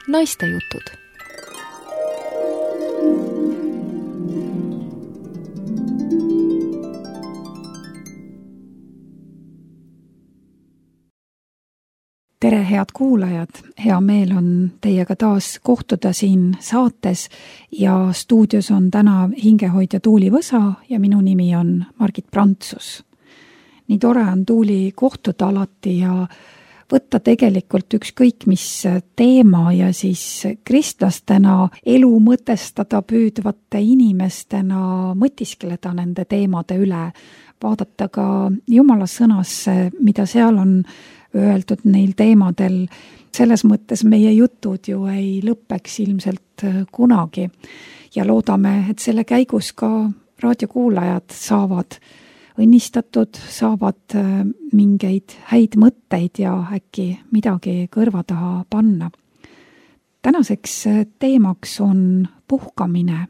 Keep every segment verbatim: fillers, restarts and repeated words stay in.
Naistejutud. Tere, head kuulajad! Hea meel on teiega taas kohtuda siin saates ja stuudios on täna hingehoidja Tuuli Võsa ja minu nimi on Margit Prantsus. Nii tore on Tuuli kohtuda alati ja võtta tegelikult ükskõik mis teema ja siis kristlastena elu mõtestada püüdvate inimestena mõtiskeleda nende teemade üle, vaadata ka Jumala sõnasse, mida seal on öeldud neil teemadel. Selles mõttes meie jutud ju ei lõppeks ilmselt kunagi ja loodame, et selle käigus ka raadiokuulajad saavad õnnistatud, saavad mingeid häid mõtteid ja äkki midagi kõrva taha panna. Tänaseks teemaks on puhkamine.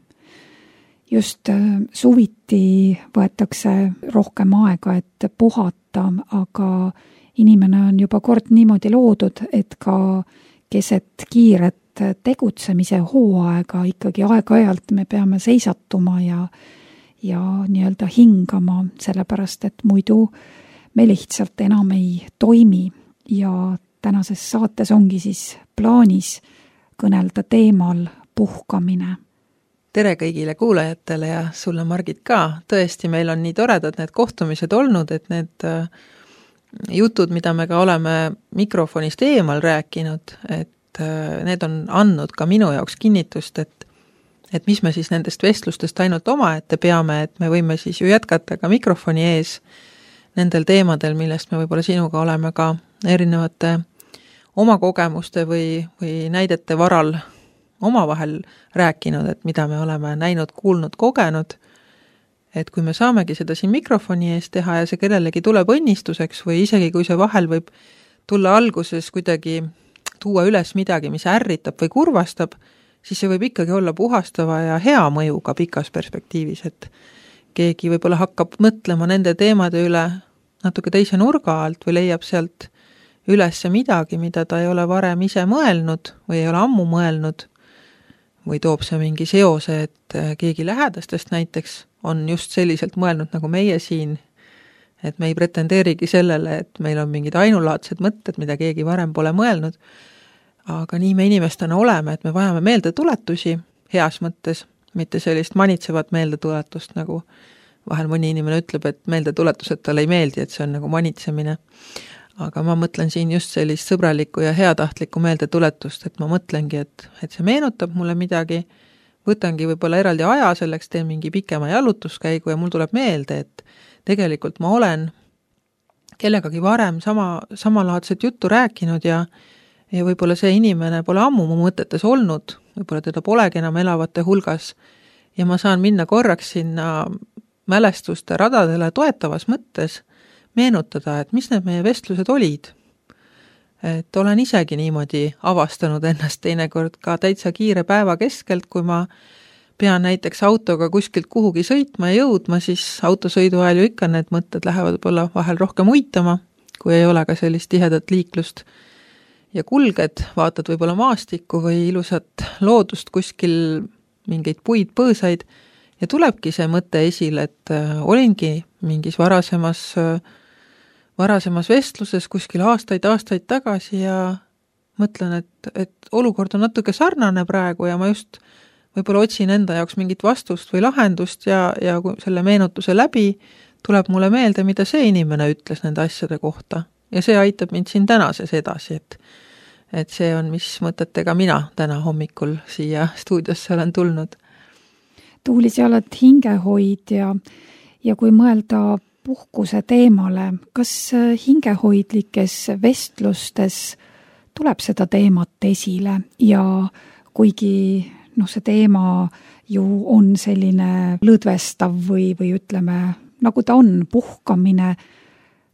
Just suviti võetakse rohkem aega, et puhata, aga inimene on juba kord niimoodi loodud, et ka keset kiiret tegutsemise hooaega ikkagi aeg-ajalt me peame seisatuma ja ja nii-öelda hingama, sellepärast, et muidu me lihtsalt enam ei toimi ja tänases saates ongi siis plaanis kõnelda teemal puhkamine. Tere kõigile kuulajatele ja sulle, Margit, ka. Tõesti, meil on nii toredad need kohtumised olnud, et need jutud, mida me ka oleme mikrofonist eemal rääkinud, et need on andnud ka minu jaoks kinnitust, et et mis me siis nendest vestlustest ainult omaette peame, et me võime siis ju jätkata ka mikrofoni ees nendel teemadel, millest me võib-olla sinuga oleme ka erinevate oma kogemuste või, või näidete varal omavahel rääkinud, et mida me oleme näinud, kuulnud, kogenud, et kui me saamegi seda siin mikrofoni ees teha ja see kellelegi tuleb õnnistuseks või isegi kui see vahel võib tulla alguses kuidagi tuua üles midagi, mis ärritab või kurvastab, siis see võib ikkagi olla puhastava ja hea mõjuga pikas perspektiivis, et keegi võib-olla hakkab mõtlema nende teemade üle natuke teise nurga alt või leiab sealt üles midagi, mida ta ei ole varem ise mõelnud või ei ole ammu mõelnud või toob see mingi seose, et keegi lähedastest näiteks on just selliselt mõelnud nagu meie siin, et me ei pretendeerigi sellele, et meil on mingid ainulaadsed mõtted, mida keegi varem pole mõelnud, aga nii me inimestena oleme, et me vajame meeldetuletusi heas mõttes, mitte sellist manitsevat meeldetuletust, nagu vahel mõni inimene ütleb, et meeldetuletused talle ei meeldi, et see on nagu manitsemine. Aga ma mõtlen siin just sellist sõbralikku ja heatahtlikku meeldetuletust, et ma mõtlengi, et, et see meenutab mulle midagi, võtangi võib-olla eraldi aja selleks, teen mingi pikema jalutuskäigu ja mul tuleb meelde, et tegelikult ma olen kellegagi varem sama, samalaadset juttu rääkinud ja ja võib-olla see inimene pole ammu mu mõtetes olnud, võib-olla teda polegi enam elavate hulgas ja ma saan minna korraks sinna mälestuste radadele toetavas mõttes meenutada, et mis need meie vestlused olid. Et olen isegi niimoodi avastanud ennast teinekord ka täitsa kiire päeva keskelt, kui ma pean näiteks autoga kuskilt kuhugi sõitma ja jõudma, siis autosõidu ajal ju ikka need mõtted lähevad võib-olla vahel rohkem uitama, kui ei ole ka sellist tihedat liiklust. Ja kulged, vaatad võib-olla maastikku või ilusat loodust kuskil mingeid puid, põõsaid ja tulebki see mõte esile, et olingi mingis varasemas, varasemas vestluses kuskil aastaid, aastaid tagasi ja mõtlen, et, et olukord on natuke sarnane praegu ja ma just võib-olla otsin enda jaoks mingit vastust või lahendust ja, ja kui selle meenutuse läbi tuleb mulle meelde, mida see inimene ütles nende asjade kohta ja see aitab mind siin tänases edasi, et et see on, mis mõtetega mina täna hommikul siia stuudiosse olen tulnud. Tuuli, sa oled hingehoidja ja kui mõelda puhkuse teemale, kas hingehoidlikes vestlustes tuleb seda teemat esile ja kuigi no, see teema ju on selline lõdvestav või, või ütleme, nagu ta on, puhkamine,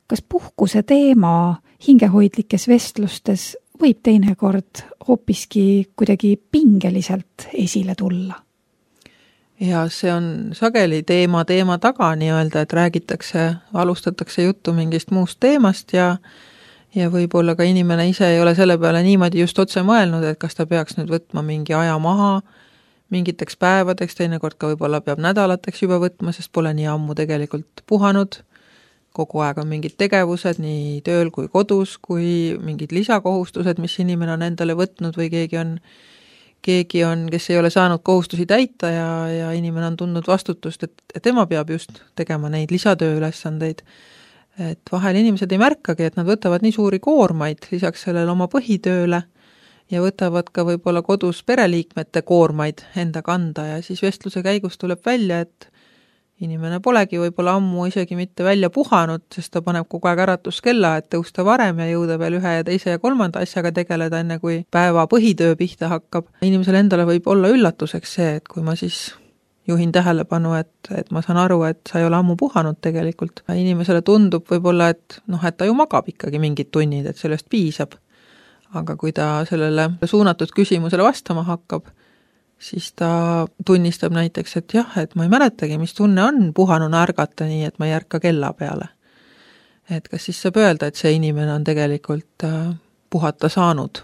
kas puhkuse teema hingehoidlikes vestlustes võib teinekord hoopiski kuidagi pingeliselt esile tulla? Ja see on sageli teema teema taga nii-öelda, et räägitakse, alustatakse juttu mingist muust teemast ja, ja võib-olla ka inimene ise ei ole selle peale niimoodi just otse mõelnud, et kas ta peaks nüüd võtma mingi aja maha mingiteks päevadeks, teinekord ka võib-olla peab nädalateks juba võtma, sest pole nii ammu tegelikult puhanud. Kogu aeg on mingid tegevused nii tööl kui kodus, kui mingid lisakohustused, mis inimene on endale võtnud või keegi on, keegi on, kes ei ole saanud kohustusi täita ja, ja inimene on tundnud vastutust, et, et tema peab just tegema neid lisatööülesandeid. Et vahel inimesed ei märkagi, et nad võtavad nii suuri koormaid lisaks sellele oma põhitööle ja võtavad ka võib-olla kodus pereliikmete koormaid enda kanda ja siis vestluse käigus tuleb välja, et inimene polegi võib-olla ammu isegi mitte välja puhanud, sest ta paneb kogu aeg äratuskella, et tõusta varem ja jõuda veel ühe ja teise ja kolmanda asjaga tegeleda, enne kui päeva põhitöö pihta hakkab. Inimesele endale võib olla üllatuseks see, et kui ma siis juhin tähelepanu, et, et ma saan aru, et sa ei ole ammu puhanud tegelikult. Inimesele tundub võib-olla, et, noh, et ta ju magab ikkagi mingid tunnid, et sellest piisab. Aga kui ta sellele suunatud küsimusele vastama hakkab, siis ta tunnistab näiteks, et jah, et ma ei mäletagi, mis tunne on puhanuna ärgata nii, et ma ei ärka kella peale. Et kas siis saab öelda, et see inimene on tegelikult puhata saanud?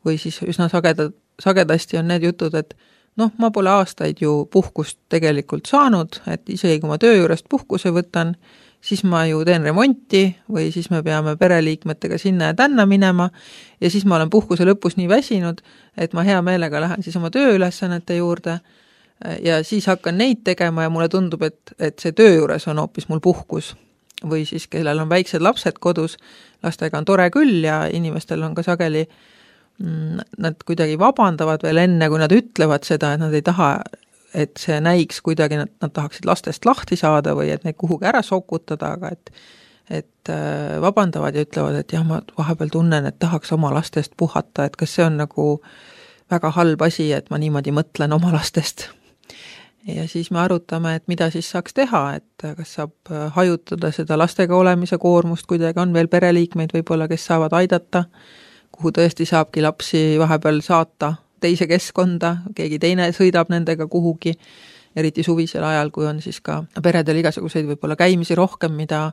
Või siis üsna sageda, sagedasti on need jutud, et noh, ma pole aastaid ju puhkust tegelikult saanud, et isegi kui ma töö juurest puhkuse võtan, siis ma ju teen remonti või siis me peame pereliikmetega sinna ja tänna minema ja siis ma olen puhkuse lõpus nii väsinud, et ma hea meelega lähen siis oma tööülesannete juurde ja siis hakkan neid tegema ja mulle tundub, et, et see töö juures on hoopis mul puhkus. Või siis, kellel on väiksed lapsed kodus, lastega on tore küll ja inimestel on ka sageli, nad kuidagi vabandavad veel enne, kui nad ütlevad seda, et nad ei taha, et see näiks kuidagi, nad, nad tahaksid lastest lahti saada või et neid kuhugi ära sokutada, aga et, et vabandavad ja ütlevad, et jah, ma vahepeal tunnen, et tahaks oma lastest puhata, et kas see on nagu väga halb asi, et ma niimoodi mõtlen oma lastest. Ja siis me arutame, et mida siis saaks teha, et kas saab hajutada seda lastega olemise koormust, kuidagi on veel pereliikmeid võib-olla, kes saavad aidata, kuhu tõesti saabki lapsi vahepeal saata teise keskkonda, keegi teine sõidab nendega kuhugi, eriti suvisel ajal, kui on siis ka peredel igasuguseid võib-olla käimisi rohkem, mida,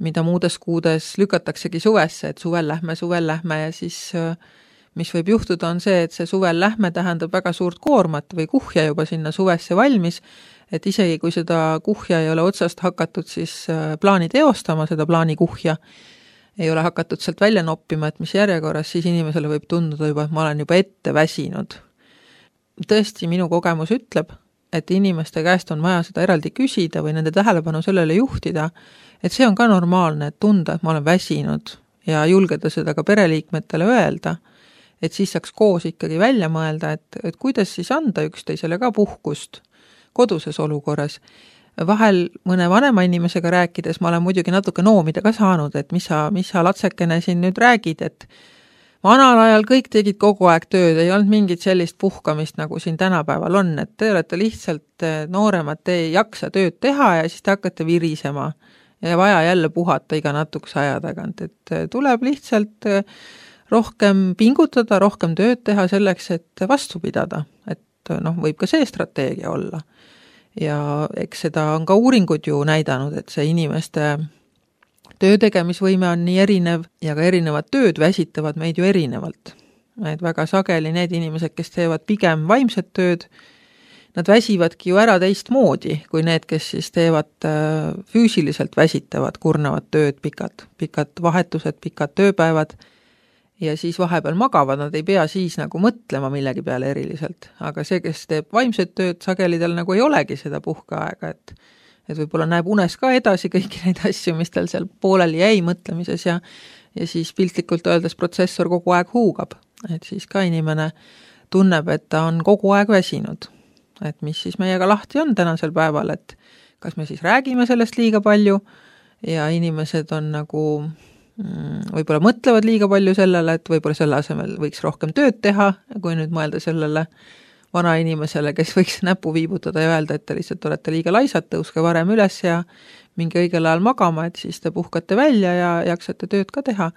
mida muudes kuudes lükataksegi suvesse, et suvel lähme, suvel lähme ja siis mis võib juhtuda on see, et see suvel lähme tähendab väga suurt koormat või kuhja juba sinna suvesse valmis, et isegi kui seda kuhja ei ole otsast hakatud siis plaani teostama, seda plaani kuhja, ei ole hakatud sealt välja noppima, et mis järjekorras, siis inimesele võib tunduda juba, et ma olen juba ette väsinud. Tõesti, minu kogemus ütleb, et inimeste käest on vaja seda eraldi küsida või nende tähelepanu sellele juhtida, et see on ka normaalne, et tunda, et ma olen väsinud ja julgeda seda ka pereliikmetele öelda, et siis saaks koos ikkagi välja mõelda, et, et kuidas siis anda üksteisele ka puhkust koduses olukorras. Vahel mõne vanema inimesega rääkides ma olen muidugi natuke noomida ka saanud, et mis sa, mis sa latsekene siin nüüd räägid, et vanal ajal kõik tegid kogu aeg tööd, ei olnud mingit sellist puhkamist, nagu siin tänapäeval on, et te olete lihtsalt nooremad, te ei jaksa tööd teha ja siis te hakkate virisema ja vaja jälle puhata iga natukese aja tagant, et tuleb lihtsalt rohkem pingutada, rohkem tööd teha selleks, et vastu pidada, et noh, võib ka see strateegia olla. Ja eks seda on ka uuringud ju näidanud, et see inimeste töötegemisvõime on nii erinev ja ka erinevad tööd väsitavad meid ju erinevalt. Et väga sageli need inimesed, kes teevad pigem vaimset tööd, nad väsivadki ju ära teist moodi, kui need, kes siis teevad füüsiliselt väsitavad, kurnavad tööd, pikad, pikad vahetused, pikad tööpäevad ja siis vahepeal magavad, nad ei pea siis nagu mõtlema millegi peale eriliselt. Aga see, kes teeb vaimset tööd, sagelidel nagu ei olegi seda puhkeaega, et, et võib-olla näeb unes ka edasi kõiki neid asju, mis tal seal pooleli jäi mõtlemises ja, ja siis piltlikult öeldes protsessor kogu aeg huugab. Et siis ka inimene tunneb, et ta on kogu aeg väsinud. Et mis siis meiega lahti on tänasel päeval, et kas me siis räägime sellest liiga palju ja inimesed on nagu võib-olla mõtlevad liiga palju sellele, et võib-olla selle asemel võiks rohkem tööd teha, kui nüüd mõelda sellele vana inimesele, kes võiks näpu viibutada ja öelda, et te lihtsalt olete liiga laisad, tõuske varem üles ja mingi õigel ajal magama, et siis te puhkate välja ja jaksate tööd ka teha.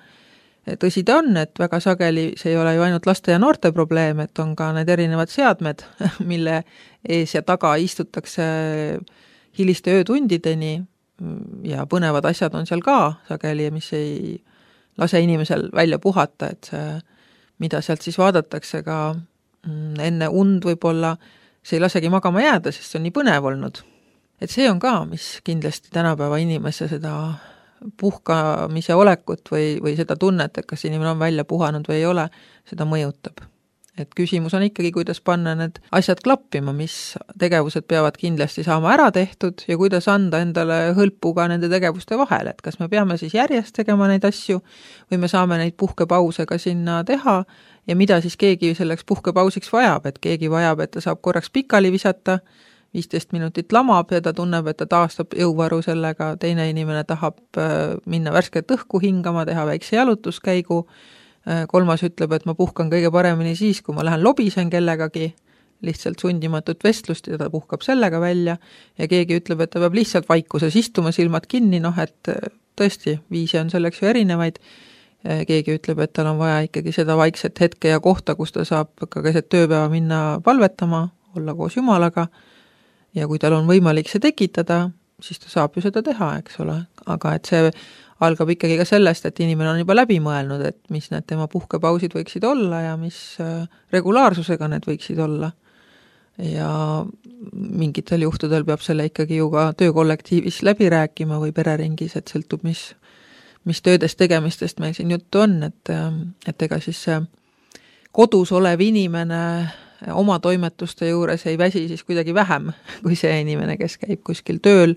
Tõsi ta on, et väga sageli see ei ole ju ainult laste ja noorte probleem, et on ka need erinevad seadmed, mille ees ja taga istutakse hiliste öötundideni ja põnevad asjad on seal ka sageli, mis ei, lase inimesel välja puhata, et see, mida sealt siis vaadatakse ka enne und võib-olla, see ei lasegi magama jääda, sest see on nii põnev olnud. Et see on ka, mis kindlasti tänapäeva inimese seda puhkamise olekut või, või seda tunnet, et kas inimene on välja puhanud või ei ole, seda mõjutab. Et küsimus on ikkagi, kuidas panna need asjad klappima, mis tegevused peavad kindlasti saama ära tehtud ja kuidas anda endale hõlpu ka nende tegevuste vahel, et kas me peame siis järjest tegema neid asju või me saame neid puhkepause ka sinna teha ja mida siis keegi selleks puhkepausiks vajab, et keegi vajab, et ta saab korraks pikali visata, viisteist minutit lamab ja ta tunneb, et ta taastab jõuvaru sellega, teine inimene tahab minna värsket õhku hingama, teha väikse jalutuskäigu, kolmas ütleb, et ma puhkan kõige paremini siis, kui ma lähen lobisen kellegagi, lihtsalt sundimatut vestlust ja ta puhkab sellega välja ja keegi ütleb, et ta peab lihtsalt vaikuses istuma, silmad kinni, noh, et tõesti, viise on selleks ju erinevaid. Keegi ütleb, et tal on vaja ikkagi seda vaikset hetke ja kohta, kus ta saab ka keset tööpäeva minna palvetama, olla koos Jumalaga ja kui tal on võimalik see tekitada, siis ta saab ju seda teha, eks ole, aga et see algab ikkagi ka sellest, et inimene on juba läbi mõelnud, et mis need tema puhkepausid võiksid olla ja mis regulaarsusega need võiksid olla. Ja mingitel juhtudel peab selle ikkagi ju ka töökollektiivis läbi rääkima või pereringis, et sõltub, mis, mis töödest tegemistest meil siin juttu on, et, et ega siis see kodus olev inimene oma toimetuste juures ei väsi siis kuidagi vähem kui see inimene, kes käib kuskil tööl.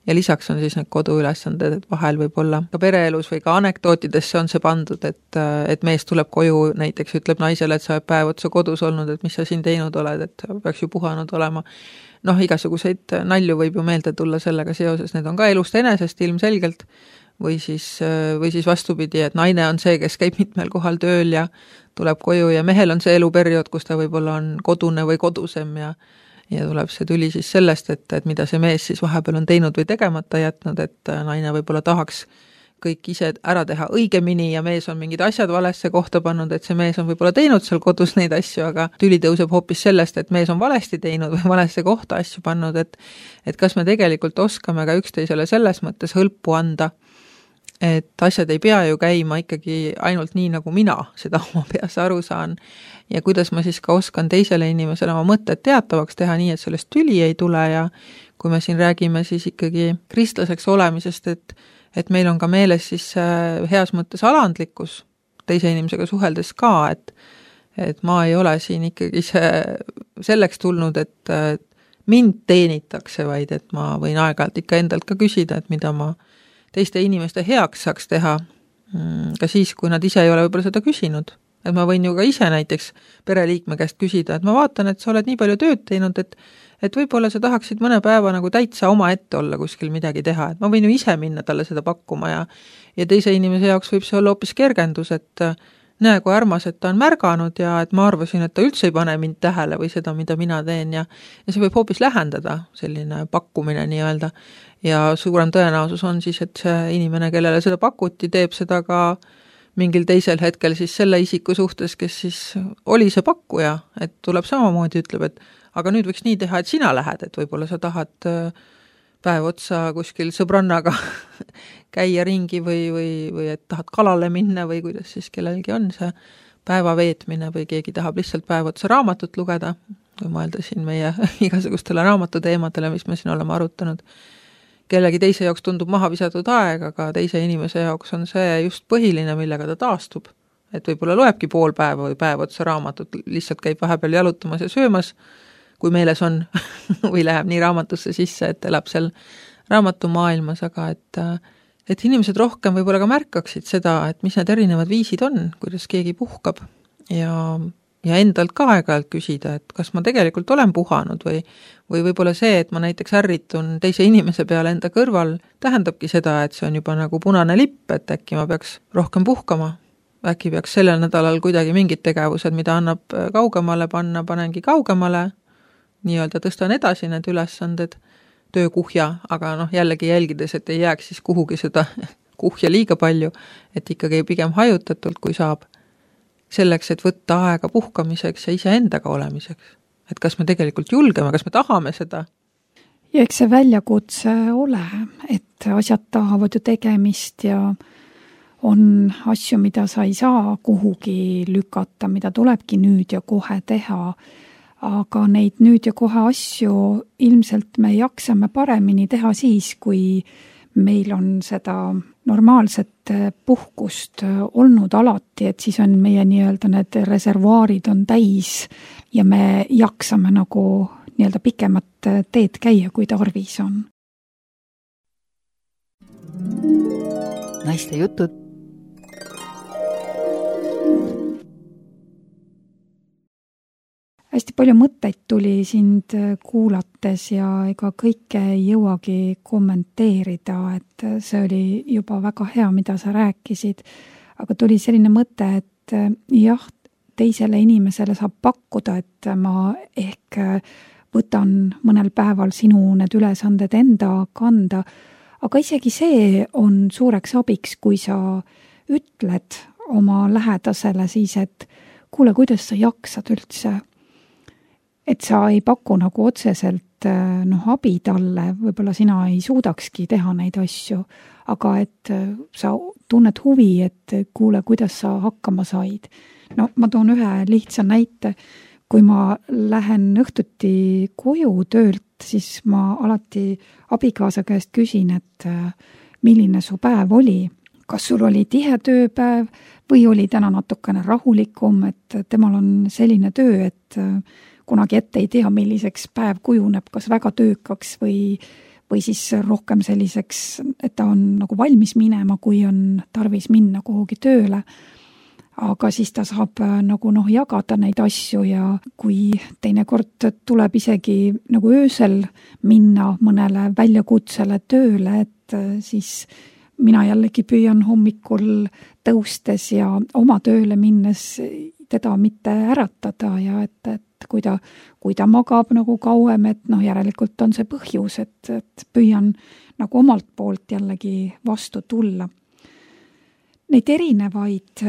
Ja lisaks on siis need koduülesanded, et vahel võib olla ka pereelus või ka anekdootidesse on see pandud, et, et mees tuleb koju, näiteks ütleb naisele, et sa oled päev otsa kodus olnud, et mis sa siin teinud oled, et peaks ju puhanud olema. Noh, igasuguseid nalju võib ju meelde tulla sellega seoses, need on ka elust enesest ilmselgelt, või siis, või siis vastupidi, et naine on see, kes käib mitmel kohal tööl ja tuleb koju ja mehel on see eluperiood, kus ta võib-olla on kodune või kodusem ja ja tuleb see tuli siis sellest, et, et mida see mees siis vahepeal on teinud või tegemata jätnud, et naine võib-olla tahaks kõik ise ära teha õigemini ja mees on mingid asjad valesse kohta pannud, et see mees on võib-olla teinud seal kodus neid asju, aga tüli tõuseb hoopis sellest, et mees on valesti teinud või valesse kohta asju pannud, et, et kas me tegelikult oskame ka üksteisele selles mõttes hõlpu anda, et asjad ei pea ju käima ikkagi ainult nii, nagu mina seda oma peas aru saan ja kuidas ma siis ka oskan teisele inimesele oma mõtted teatavaks teha nii, et sellest tüli ei tule ja kui me siin räägime siis ikkagi kristlaseks olemisest, et, et meil on ka meeles siis heas mõttes alandlikkus teise inimesega suheldes ka, et, et ma ei ole siin ikkagi see, selleks tulnud, et mind teenitakse, vaid et ma võin aeg-ajalt ikka endalt ka küsida, et mida ma teiste inimeste heaks saaks teha ka siis, kui nad ise ei ole võib-olla seda küsinud. Et ma võin ju ka ise näiteks pereliikme käest küsida, et ma vaatan, et sa oled nii palju tööd teinud, et, et võib-olla sa tahaksid mõne päeva nagu täitsa oma ette olla kuskil midagi teha, et ma võin ju ise minna talle seda pakkuma ja, ja teise inimese jaoks võib see olla hoopis kergendus, et näe, kui armas, et ta on märganud ja et ma arvasin, et ta üldse ei pane mind tähele või seda, mida mina teen ja, ja see võib hoopis lähendada selline pakkumine nii-öelda ja suurem tõenäosus on siis, et see inimene, kellele seda pakuti, teeb seda ka mingil teisel hetkel siis selle isiku suhtes, kes siis oli see pakkuja, et tuleb samamoodi, ütleb, et aga nüüd võiks nii teha, et sina lähed, et võib-olla sa tahad päev otsa kuskil sõbrannaga käia ringi või, või, või et tahad kalale minna või kuidas siis kellelgi on see päeva veetmine või keegi tahab lihtsalt päev otsa raamatut lugeda, kui mõelda siin meie igasugustele raamatuteemadele, mis me siin oleme arutanud. Kellegi teise jaoks tundub maha visatud aeg, aga teise inimese jaoks on see just põhiline, millega ta taastub. Et võib-olla loebki pool päeva või päev otsa raamatut, lihtsalt käib vahepeal jalutamas ja söömas, kui meeles on, või läheb nii raamatusse sisse, et elab seal raamatumaailmas, aga et, et inimesed rohkem võib-olla ka märkaksid seda, et mis need erinevad viisid on, kuidas keegi puhkab ja, ja endalt ka aeg-ajalt küsida, et kas ma tegelikult olen puhanud või, või võib-olla see, et ma näiteks ärritun teise inimese peale enda kõrval, tähendabki seda, et see on juba nagu punane lipp, et äkki ma peaks rohkem puhkama. Äkki peaks sellel nädalal kuidagi mingid tegevused, mida annab kaugemale panna, panengi kaugemale, nii-öelda tõstan edasi need ülesanded, töökuhja, aga noh, jällegi jälgides, et ei jääks siis kuhugi seda kuhja liiga palju, et ikkagi pigem hajutatult, kui saab, selleks, et võtta aega puhkamiseks ja iseendaga olemiseks. Et kas me tegelikult julgeme, kas me tahame seda? Ja eks see väljakutse ole, et asjad tahavad ju tegemist ja on asju, mida sa ei saa kuhugi lükata, mida tulebki nüüd ja kohe teha. Aga neid nüüd ja kohe asju ilmselt me jaksame paremini teha siis, kui meil on seda normaalset puhkust olnud alati, et siis on meie nii-öelda need reservuaarid on täis ja me jaksame nagu nii-öelda pikemat teed käia, kui tarvis on. Naiste jutud. Hästi palju mõtteid tuli sind kuulates ja ega kõike ei jõuagi kommenteerida, et see oli juba väga hea, mida sa rääkisid, aga tuli selline mõte, et jah, teisele inimesele saab pakkuda, et ma ehk võtan mõnel päeval sinu need ülesanded enda kanda, aga isegi see on suureks abiks, kui sa ütled oma lähedasele siis, et kuule, kuidas sa jaksad üldse, et sa ei paku nagu otseselt noh, abi talle, võib-olla sina ei suudakski teha neid asju, aga et sa tunned huvi, et kuule, kuidas sa hakkama said. No ma toon ühe lihtsa näite, kui ma lähen õhtuti koju töölt, siis ma alati abikaasa käest küsin, et milline su päev oli. Kas sul oli tihe tööpäev või oli täna natukene rahulikum, et temal on selline töö, et kunagi ette ei tea, milliseks päev kujuneb, kas väga töökaks või, või siis rohkem selliseks, et ta on nagu valmis minema, kui on tarvis minna kuhugi tööle. Aga siis ta saab nagu noh, jagada neid asju ja kui teinekord tuleb isegi nagu öösel minna mõnele väljakutsele tööle, et siis mina jällegi püüan hommikul tõustes ja oma tööle minnes teda mitte äratada ja et, et kui ta, kui ta magab nagu kauem, et noh, järelikult on see põhjus, et, et püüan nagu omalt poolt jällegi vastu tulla. Neid erinevaid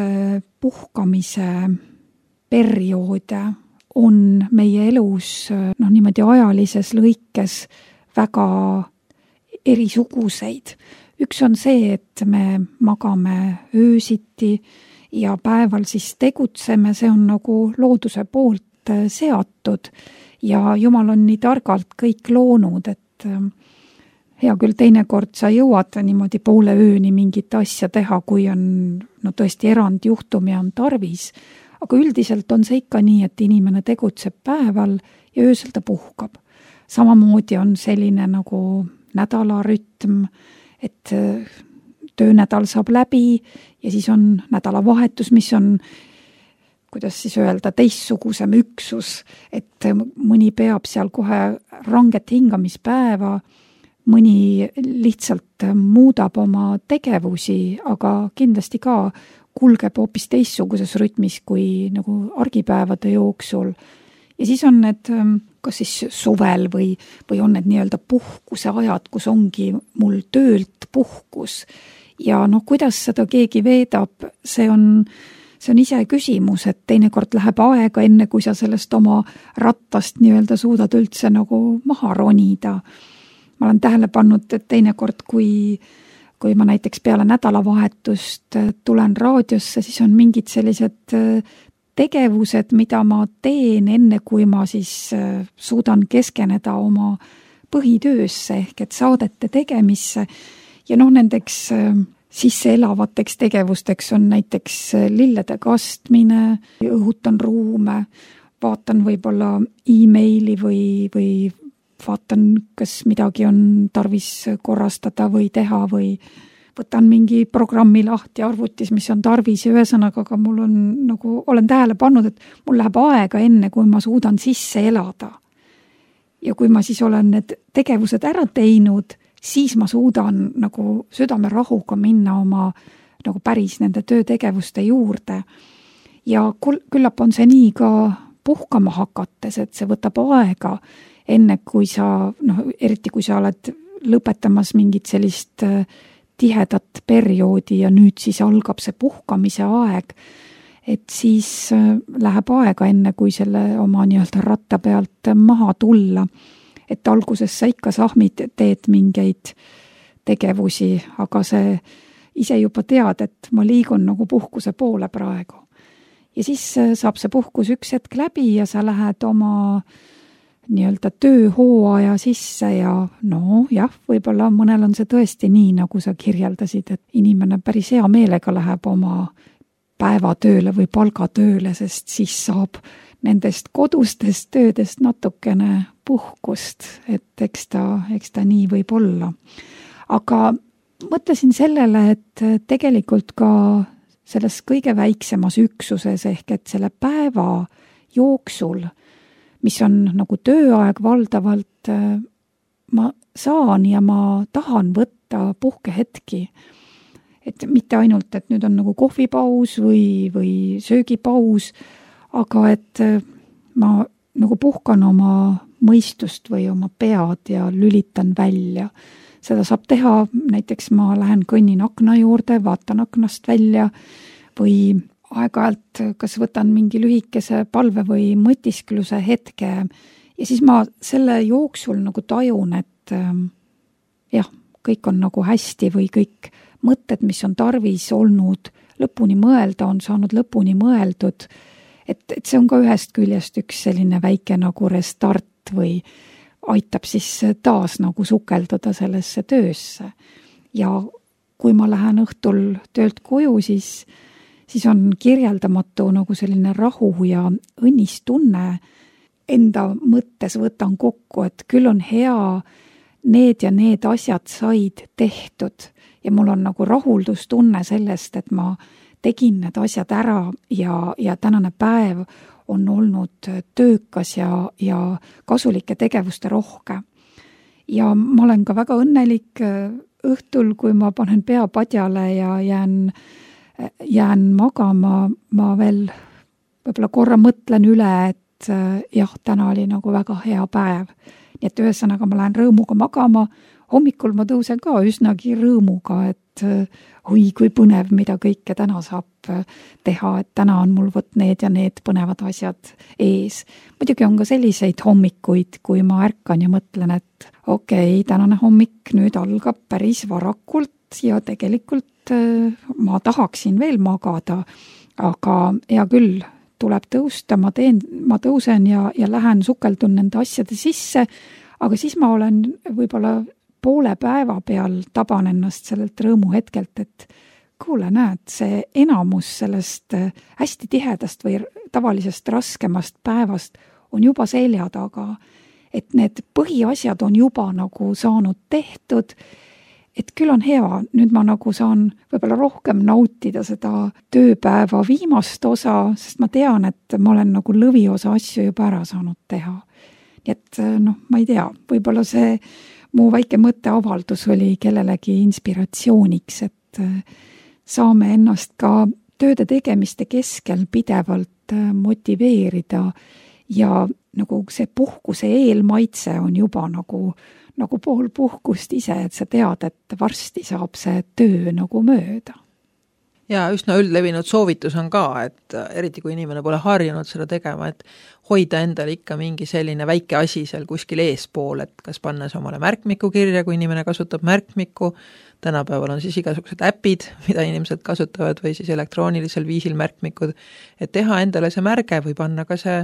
puhkamise perioode on meie elus noh, niimoodi ajalises lõikes väga erisuguseid. Üks on see, et me magame öösiti ja päeval siis tegutseme, see on nagu looduse poolt seatud ja Jumal on nii targalt kõik loonud, et hea küll teinekord sa jõuad niimoodi poole ööni mingit asja teha, kui on no tõesti erandjuhtum ja on tarvis, aga üldiselt on see ikka nii, et inimene tegutseb päeval ja öösel ta puhkab. Samamoodi on selline nagu nädalarütm, et töönädal saab läbi ja siis on nädalavahetus, mis on, kuidas siis öelda, teistsugusem üksus, et mõni peab seal kohe ranget hingamispäeva, mõni lihtsalt muudab oma tegevusi, aga kindlasti ka kulgeb hoopis teistsuguses rütmis kui nagu argipäevade jooksul. Ja siis on need, kas siis suvel või, või on need nii-öelda puhkuse ajad, kus ongi mul töölt puhkus. Ja noh, kuidas seda keegi veedab, see on, see on ise küsimus, et teinekord läheb aega enne, kui sa sellest oma rattast nii-öelda suudad üldse nagu maha ronida. Ma olen tähele pannud, et teinekord, kui, kui ma näiteks peale nädalavahetust tulen raadiosse, siis on mingid sellised tegevused, mida ma teen enne, kui ma siis suudan keskeneda oma põhitöösse ehk et saadete tegemisse. Ja noh, nendeks sisse elavateks tegevusteks on näiteks lillede kastmine, õhutan ruume, vaatan võib-olla e-maili või, või vaatan, kas midagi on tarvis korrastada või teha või võtan mingi programmi lahti arvutis, mis on tarvis ja ühesõnaga, aga mul on nagu, olen tähele pannud, et mul läheb aega enne, kui ma suudan sisse elada. Ja kui ma siis olen need tegevused ära teinud, siis ma suudan nagu südame rahuga minna oma nagu päris nende töötegevuste juurde. Ja küllap on see nii ka puhkama hakates, et see võtab aega enne, kui sa, noh, eriti kui sa oled lõpetamas mingit sellist tihedat perioodi ja nüüd siis algab see puhkamise aeg, et siis läheb aega enne, kui selle oma nii-öelda ratta pealt maha tulla. Et alguses sa ikka sahmid teed mingeid tegevusi, aga see ise juba tead, et ma liigun nagu puhkuse poole praegu. Ja siis saab see puhkus üks hetk läbi ja sa lähed oma nii-öelda tööhooaja sisse ja no jah, võib-olla mõnel on see tõesti nii, nagu sa kirjeldasid, et inimene päris hea meelega läheb oma päevatööle või palgatööle, sest siis saab nendest kodustest töödest natukene puhkust, et eks ta, eks ta nii võib olla. Aga mõtlesin sellele, et tegelikult ka selles kõige väiksemas üksuses ehk et selle päeva jooksul, mis on nagu tööaeg valdavalt, ma saan ja ma tahan võtta puhkehetki. Et mitte ainult, et nüüd on nagu kohvipaus või, või söögipaus, aga et ma nagu puhkan oma mõistust või oma pead ja lülitan välja. Seda saab teha, näiteks ma lähen kõnnin akna juurde, vaatan aknast välja või aeg-ajalt kas võtan mingi lühikese palve või mõtiskluse hetke ja siis ma selle jooksul nagu tajun, et jah, kõik on nagu hästi või kõik mõtted, mis on tarvis olnud lõpuni mõelda, on saanud lõpuni mõeldud, et, et see on ka ühest küljest üks selline väike nagu restart või aitab siis taas nagu sukelduda sellesse töösse. Ja kui ma lähen õhtul töölt koju, siis, siis on kirjeldamatu nagu selline rahu ja õnnistunne. Enda mõttes võtan kokku, et küll on hea, need ja need asjad said tehtud ja mul on nagu rahuldustunne sellest, et ma tegin need asjad ära ja, ja tänane päev on olnud töökas ja, ja kasulike tegevuste rohke. Ja ma olen ka väga õnnelik õhtul, kui ma panen pea padjale ja jään, jään magama, ma veel võib-olla korra mõtlen üle, et jah, täna oli nagu väga hea päev. Nii et ühesõnaga ma lähen rõõmuga magama, hommikul ma tõusen ka üsnagi rõõmuga, et oi, kui põnev, mida kõike täna saab teha, et täna on mul võt need ja need põnevad asjad ees. Muidugi on ka selliseid hommikuid, kui ma ärkan ja mõtlen, et okei, okay, tänane hommik nüüd algab päris varakult ja tegelikult ma tahaksin veel magada, aga hea küll, tuleb tõusta, ma teen, ma tõusen ja, ja lähen sukeldun nende asjade sisse, aga siis ma olen võib-olla poole päeva peal taban ennast sellelt rõõmu hetkelt, et kuule, näed, see enamus sellest hästi tihedast või tavalisest raskemast päevast on juba selja taga, et need põhiasjad on juba nagu saanud tehtud, et küll on hea, nüüd ma nagu saan võib-olla rohkem nautida seda tööpäeva viimast osa, sest ma tean, et ma olen nagu lõviosa asju juba ära saanud teha. Nii et noh, ma ei tea, võib-olla see mu väike mõtteavaldus oli kellelegi inspiratsiooniks, et saame ennast ka tööde tegemiste keskel pidevalt motiveerida ja nagu see puhkuse eelmaitse on juba nagu, nagu pool puhkust ise, et sa tead, et varsti saab see töö nagu mööda. Ja üsna üldlevinud soovitus on ka, et eriti kui inimene pole harjunud seda tegema, et hoida endale ikka mingi selline väike asi seal kuskil eespool, et kas pannes omale märkmiku kirja, kui inimene kasutab märkmiku, tänapäeval on siis igasugused äpid, mida inimesed kasutavad või siis elektroonilisel viisil märkmikud, et teha endale see märge või panna ka see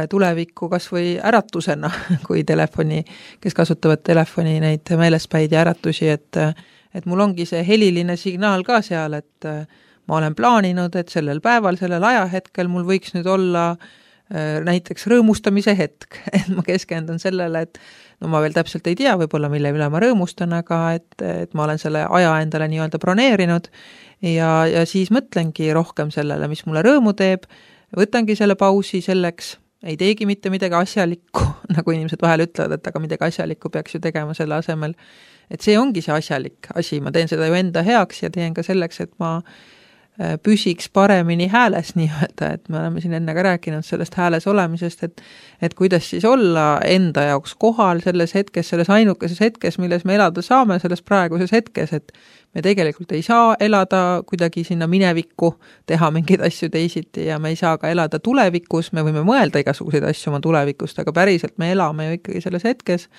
tulevikku kas või äratusena, kui telefoni, kes kasutavad telefoni neid meelespäid ja äratusi, et et mul ongi see heliline signaal ka seal, et ma olen plaaninud, et sellel päeval, sellel ajahetkel mul võiks nüüd olla näiteks rõõmustamise hetk, et ma keskendun sellele, et no ma veel täpselt ei tea võib-olla, mille üle ma rõõmustan, aga et, et ma olen selle aja endale nii-öelda broneerinud ja, ja siis mõtlengi rohkem sellele, mis mulle rõõmu teeb, võtangi selle pausi selleks, ei teegi mitte midagi asjalikku, nagu inimesed vahel ütlevad, et aga midagi asjalikku peaks ju tegema selle asemel. Et see ongi see asjalik asi, ma teen seda ju enda heaks ja teen ka selleks, et ma püsiks paremini hääles nii-öelda, et me oleme siin enne ka rääkinud sellest hääles olemisest, et, et kuidas siis olla enda jaoks kohal selles hetkes, selles ainukeses hetkes, milles me elada saame, selles praeguses hetkes, et me tegelikult ei saa elada kuidagi sinna minevikku, teha mingeid asju teisiti ja me ei saa ka elada tulevikus, me võime mõelda igasuguseid asju oma tulevikust, aga päriselt me elame ju ikkagi selles hetkes,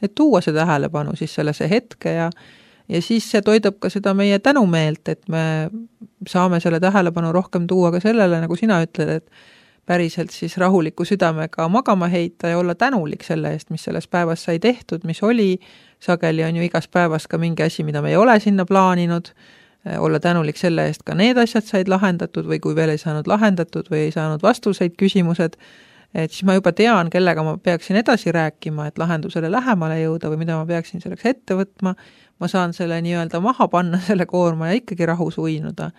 et tuua see tähelepanu siis sellesse hetke ja ja siis see toidab ka seda meie tänumeelt, et me saame selle tähelepanu rohkem tuua ka sellele, nagu sina ütled, et päriselt siis rahuliku südamega magama heita ja olla tänulik selle eest, mis selles päevas sai tehtud, mis oli, sageli on ju igas päevas ka mingi asi, mida me ei ole sinna plaaninud, olla tänulik selle eest, ka need asjad said lahendatud või kui veel ei saanud lahendatud või ei saanud vastuseid küsimused, et siis ma juba tean, kellega ma peaksin edasi rääkima, et lahendusele lähemale jõuda või mida ma peaksin selleks ette võtma, ma saan selle nii-öelda maha panna, selle koorma ja ikkagi rahus uinuda.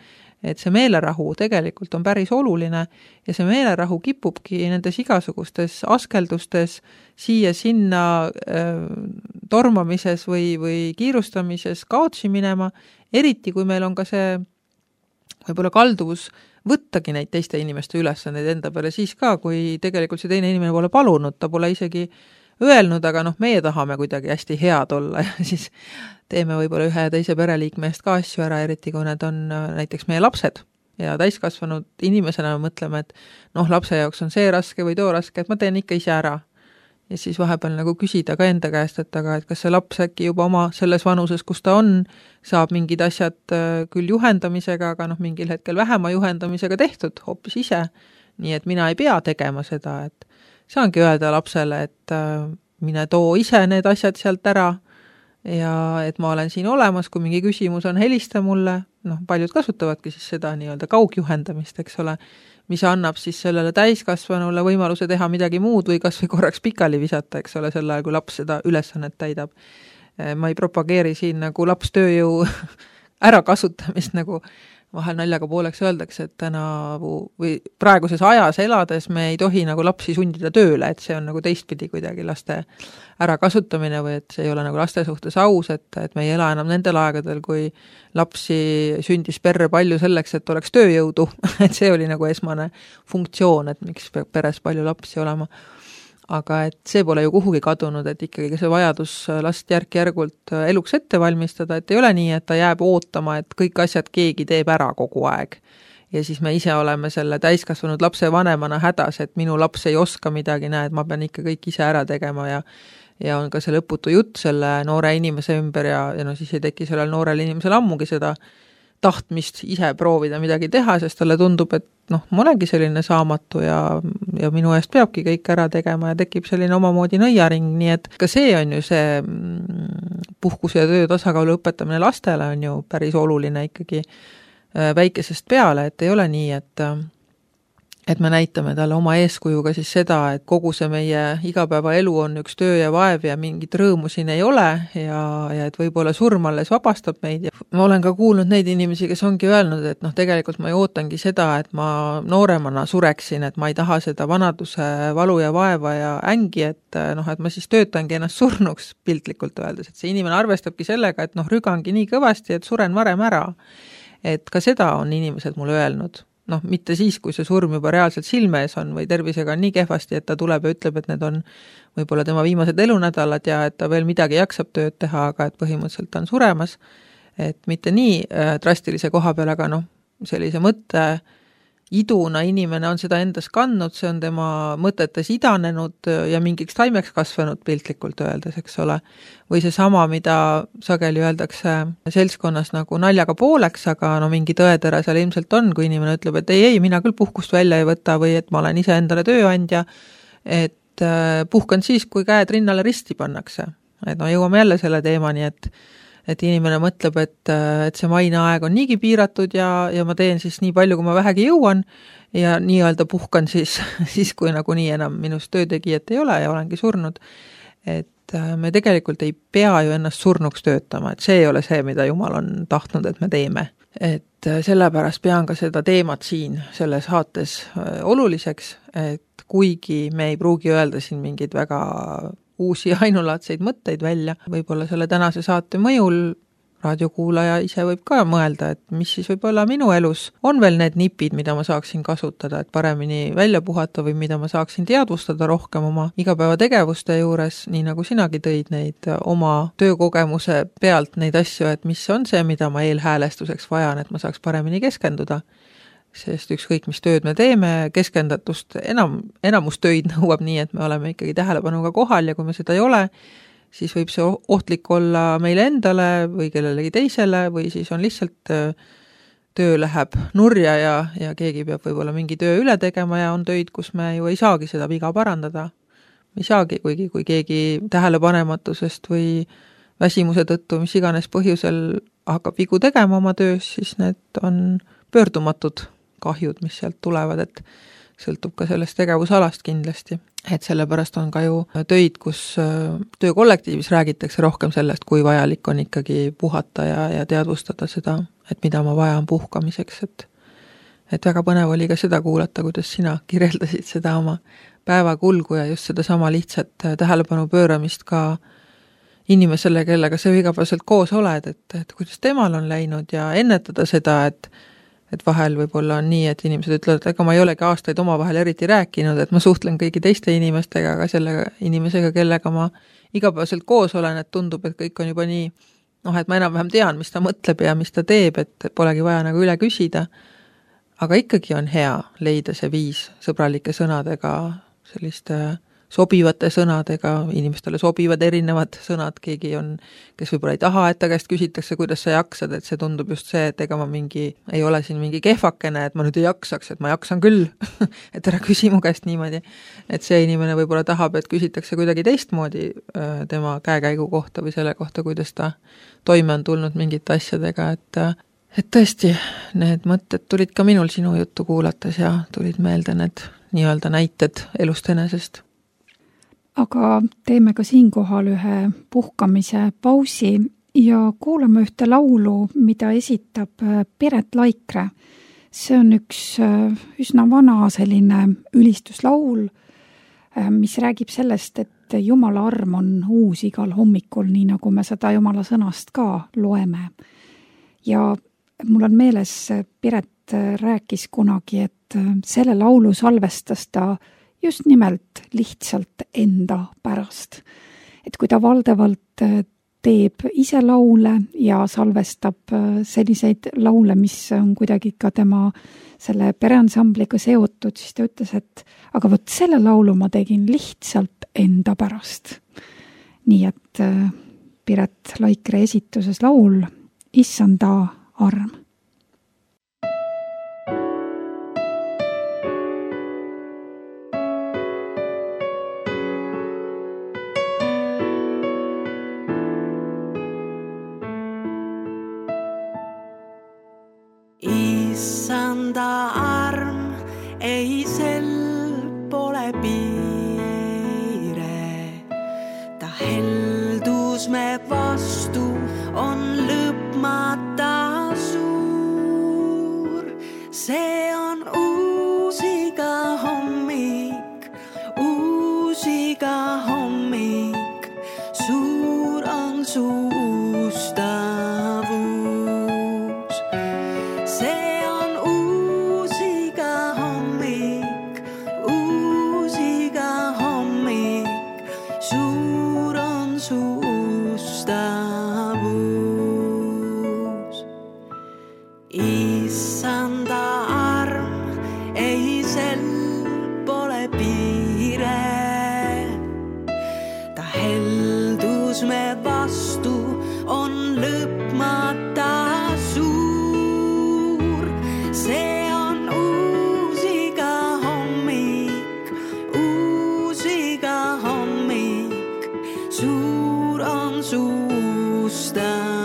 Et see meelerahu tegelikult on päris oluline ja see meelerahu kipubki nendes igasugustes askeldustes siia-sinna äh, tormamises või, või kiirustamises kaotsi minema, eriti kui meil on ka see võib-olla kalduvus võttagi neid teiste inimeste ülesandeid enda peale siis ka, kui tegelikult see teine inimene pole palunud, ta pole isegi öelnud, aga noh, meie tahame kuidagi hästi head olla ja siis teeme võib-olla ühe ja teise pereliikme eest ka asju ära, eriti kui need on näiteks meie lapsed ja täiskasvanud inimesena me mõtleme, et noh, lapse jaoks on see raske või too raske, et ma teen ikka ise ära. Ja siis vahepeal nagu küsida ka enda käest, et aga et kas see laps äkki juba oma selles vanuses, kus ta on, saab mingid asjad küll juhendamisega, aga noh, mingil hetkel vähema juhendamisega tehtud hoopis ise. Nii et mina ei pea tegema seda, et saangi öelda lapsele, et mine too ise need asjad sealt ära ja et ma olen siin olemas, kui mingi küsimus on, helista mulle, noh, paljud kasutavadki siis seda nii-öelda kaugjuhendamist, eks ole, mis annab siis sellele täiskasvanule võimaluse teha midagi muud või kas või korraks pikali visata, eks ole, sel ajal, kui laps seda ülesannet täidab. Ma ei propageeri siin nagu lapstööjõu ärakasutamist, nagu vahel naljaga pooleks öeldakse, et täna või praeguses ajas elades me ei tohi nagu lapsi sundida tööle, et see on nagu teistpidi kuidagi laste ärakasutamine või et see ei ole nagu laste suhtes aus, et, et me ei ela enam nendel aegadel, kui lapsi sündis perre palju selleks, et oleks tööjõudu, et see oli nagu esmane funktsioon, et miks peab peres palju lapsi olema. Aga et see pole ju kuhugi kadunud, et ikkagi see vajadus last järk-järgult eluks ette valmistada, et ei ole nii, et ta jääb ootama, et kõik asjad keegi teeb ära kogu aeg. Ja siis me ise oleme selle täiskasvanud lapse vanemana hädas, et minu laps ei oska midagi, näe, et ma pean ikka kõik ise ära tegema ja ja on ka see lõputu jutt selle noore inimese ümber ja, ja no siis ei teki sellel noorel inimesel ammugi seda tahtmist ise proovida midagi teha, sest talle tundub, et noh, ma olengi selline saamatu ja, ja minu eest peabki kõik ära tegema ja tekib selline omamoodi nõiaring, nii et ka see on ju see puhkuse ja töö tasakaalu õpetamine lastele on ju päris oluline ikkagi väikesest peale, et ei ole nii, et et me näitame talle oma eeskujuga siis seda, et kogu see meie igapäevaelu on üks töö ja vaev ja mingit rõõmu siin ei ole ja, ja et võib-olla surm alles vabastab meid. Ja ma olen ka kuulnud neid inimesi, kes ongi öelnud, et noh, tegelikult ma ei ootangi seda, et ma nooremana sureksin, et ma ei taha seda vanaduse valu ja vaeva ja ängi, et noh, et ma siis töötangi ennast surnuks piltlikult öeldes, et see inimene arvestabki sellega, et noh, rügangi nii kõvasti, et suren varem ära. Et ka seda on inimesed mulle öelnud. Noh, mitte siis, kui see surm juba reaalselt silme ees on või tervisega on nii kehvasti, et ta tuleb ja ütleb, et need on võib-olla tema viimased elunädalad ja et ta veel midagi jaksab tööd teha, aga et põhimõtteliselt ta on suremas. Et mitte nii drastilise koha peal, aga noh, sellise mõtte iduna inimene on seda endas kandnud, see on tema mõtetes idanenud ja mingiks taimeks kasvanud piltlikult öeldes, eks ole. Või see sama, mida sageli öeldakse seltskonnas nagu naljaga pooleks, aga no mingi tõetera seal ilmselt on, kui inimene ütleb, et ei, ei, mina küll puhkust välja ei võta või et ma olen ise endale tööandja, et puhkan siis, kui käed rinnale risti pannakse. Et no jõuame jälle selle teemani, et et inimene mõtleb, et, et see maineaeg on niigi piiratud ja, ja ma teen siis nii palju, kui ma vähegi jõuan ja nii-öelda puhkan siis, siis kui nagu nii enam minust töötegijat ei ole ja olengi surnud. Et me tegelikult ei pea ju ennast surnuks töötama, et see ei ole see, mida Jumal on tahtnud, et me teeme. Et sellepärast pean ka seda teemat siin selles saates oluliseks, et kuigi me ei pruugi öelda siin mingid väga uusi ainulaadseid mõtteid välja. Võib-olla selle tänase saate mõjul raadiokuulaja ise võib ka mõelda, et mis siis võib-olla minu elus on veel need nipid, mida ma saaksin kasutada, et paremini välja puhata või mida ma saaksin teadvustada rohkem oma igapäevategevuste juures, nii nagu sinagi tõid neid oma töökogemuse pealt neid asju, et mis on see, mida ma eelhäälestuseks vajan, et ma saaks paremini keskenduda. Sest ükskõik, mis tööd me teeme, keskendatust enam, enamus töid nõuab nii, et me oleme ikkagi tähelepanuga kohal ja kui me seda ei ole, siis võib see ohtlik olla meile endale või kellelegi teisele või siis on lihtsalt töö läheb nurja ja, ja keegi peab võib-olla mingi töö üle tegema ja on töid, kus me ju ei saagi seda viga parandada. Me ei saagi, kuigi kui keegi tähelepanematusest või väsimuse tõttu, mis iganes põhjusel hakkab vigu tegema oma töös, siis need on pöördumatud kahjud, mis sealt tulevad, et sõltub ka sellest tegevusalast kindlasti. Et sellepärast on ka ju töid, kus töökollektiivis räägitakse rohkem sellest, kui vajalik on ikkagi puhata ja, ja teadvustada seda, et mida ma vajan puhkamiseks. Et, et väga põnev oli ka seda kuulata, kuidas sina kirjeldasid seda oma päevakulgu ja just seda sama lihtsat tähelepanu pööramist ka inimesele, kellega sa igapäevaselt koos oled, et, et kuidas temal on läinud ja ennetada seda, et et vahel võib-olla on nii, et inimesed ütlevad, et ega ma ei olegi aastaid oma vahel eriti rääkinud, et ma suhtlen kõigi teiste inimestega, aga selle inimesega, kellega ma igapäevaselt koos olen, et tundub, et kõik on juba nii, noh, et ma enam-vähem tean, mis ta mõtleb ja mis ta teeb, et polegi vaja nagu üle küsida. Aga ikkagi on hea leida see viis sõbralike sõnadega, selliste sobivate sõnadega, inimestele sobivad erinevad sõnad, keegi on, kes võib-olla ei taha, et ta käest küsitakse, kuidas sa jaksad, et see tundub just see, et ega ma mingi, ei ole siin mingi kehvakene, et ma nüüd ei jaksaks, et ma jaksan küll, et ära küsi mu käest niimoodi. Et see inimene võib-olla tahab, et küsitakse kuidagi teistmoodi tema käekäigu kohta või selle kohta, kuidas ta toime on tulnud mingite asjadega, et, et tõesti, need mõtted tulid ka minul sinu juttu kuulates ja tulid meelde need nii-öelda näited elust enesest. Aga teeme ka siinkohal ühe puhkamise pausi ja kuulame ühte laulu, mida esitab Piret Laikre. See on üks üsna vana selline ülistuslaul, mis räägib sellest, et Jumala arm on uus igal hommikul, nii nagu me seda Jumala sõnast ka loeme. Ja mul on meeles, Piret rääkis kunagi, et selle laulu salvestas ta just nimelt lihtsalt enda pärast. Et kui ta valdavalt teeb ise laule ja salvestab selliseid laule, mis on kuidagi ka tema selle pereansambliga seotud, siis ta ütles, et aga võt selle laulu ma tegin lihtsalt enda pärast. Nii et Piret Laikre esituses laul Issanda arm. Issanda arm, ei sel pole piire. Ta heldus me vastu on lõpmata suur. See on uus iga hommik, uus iga hommik. Suur on su ustavus. Stop.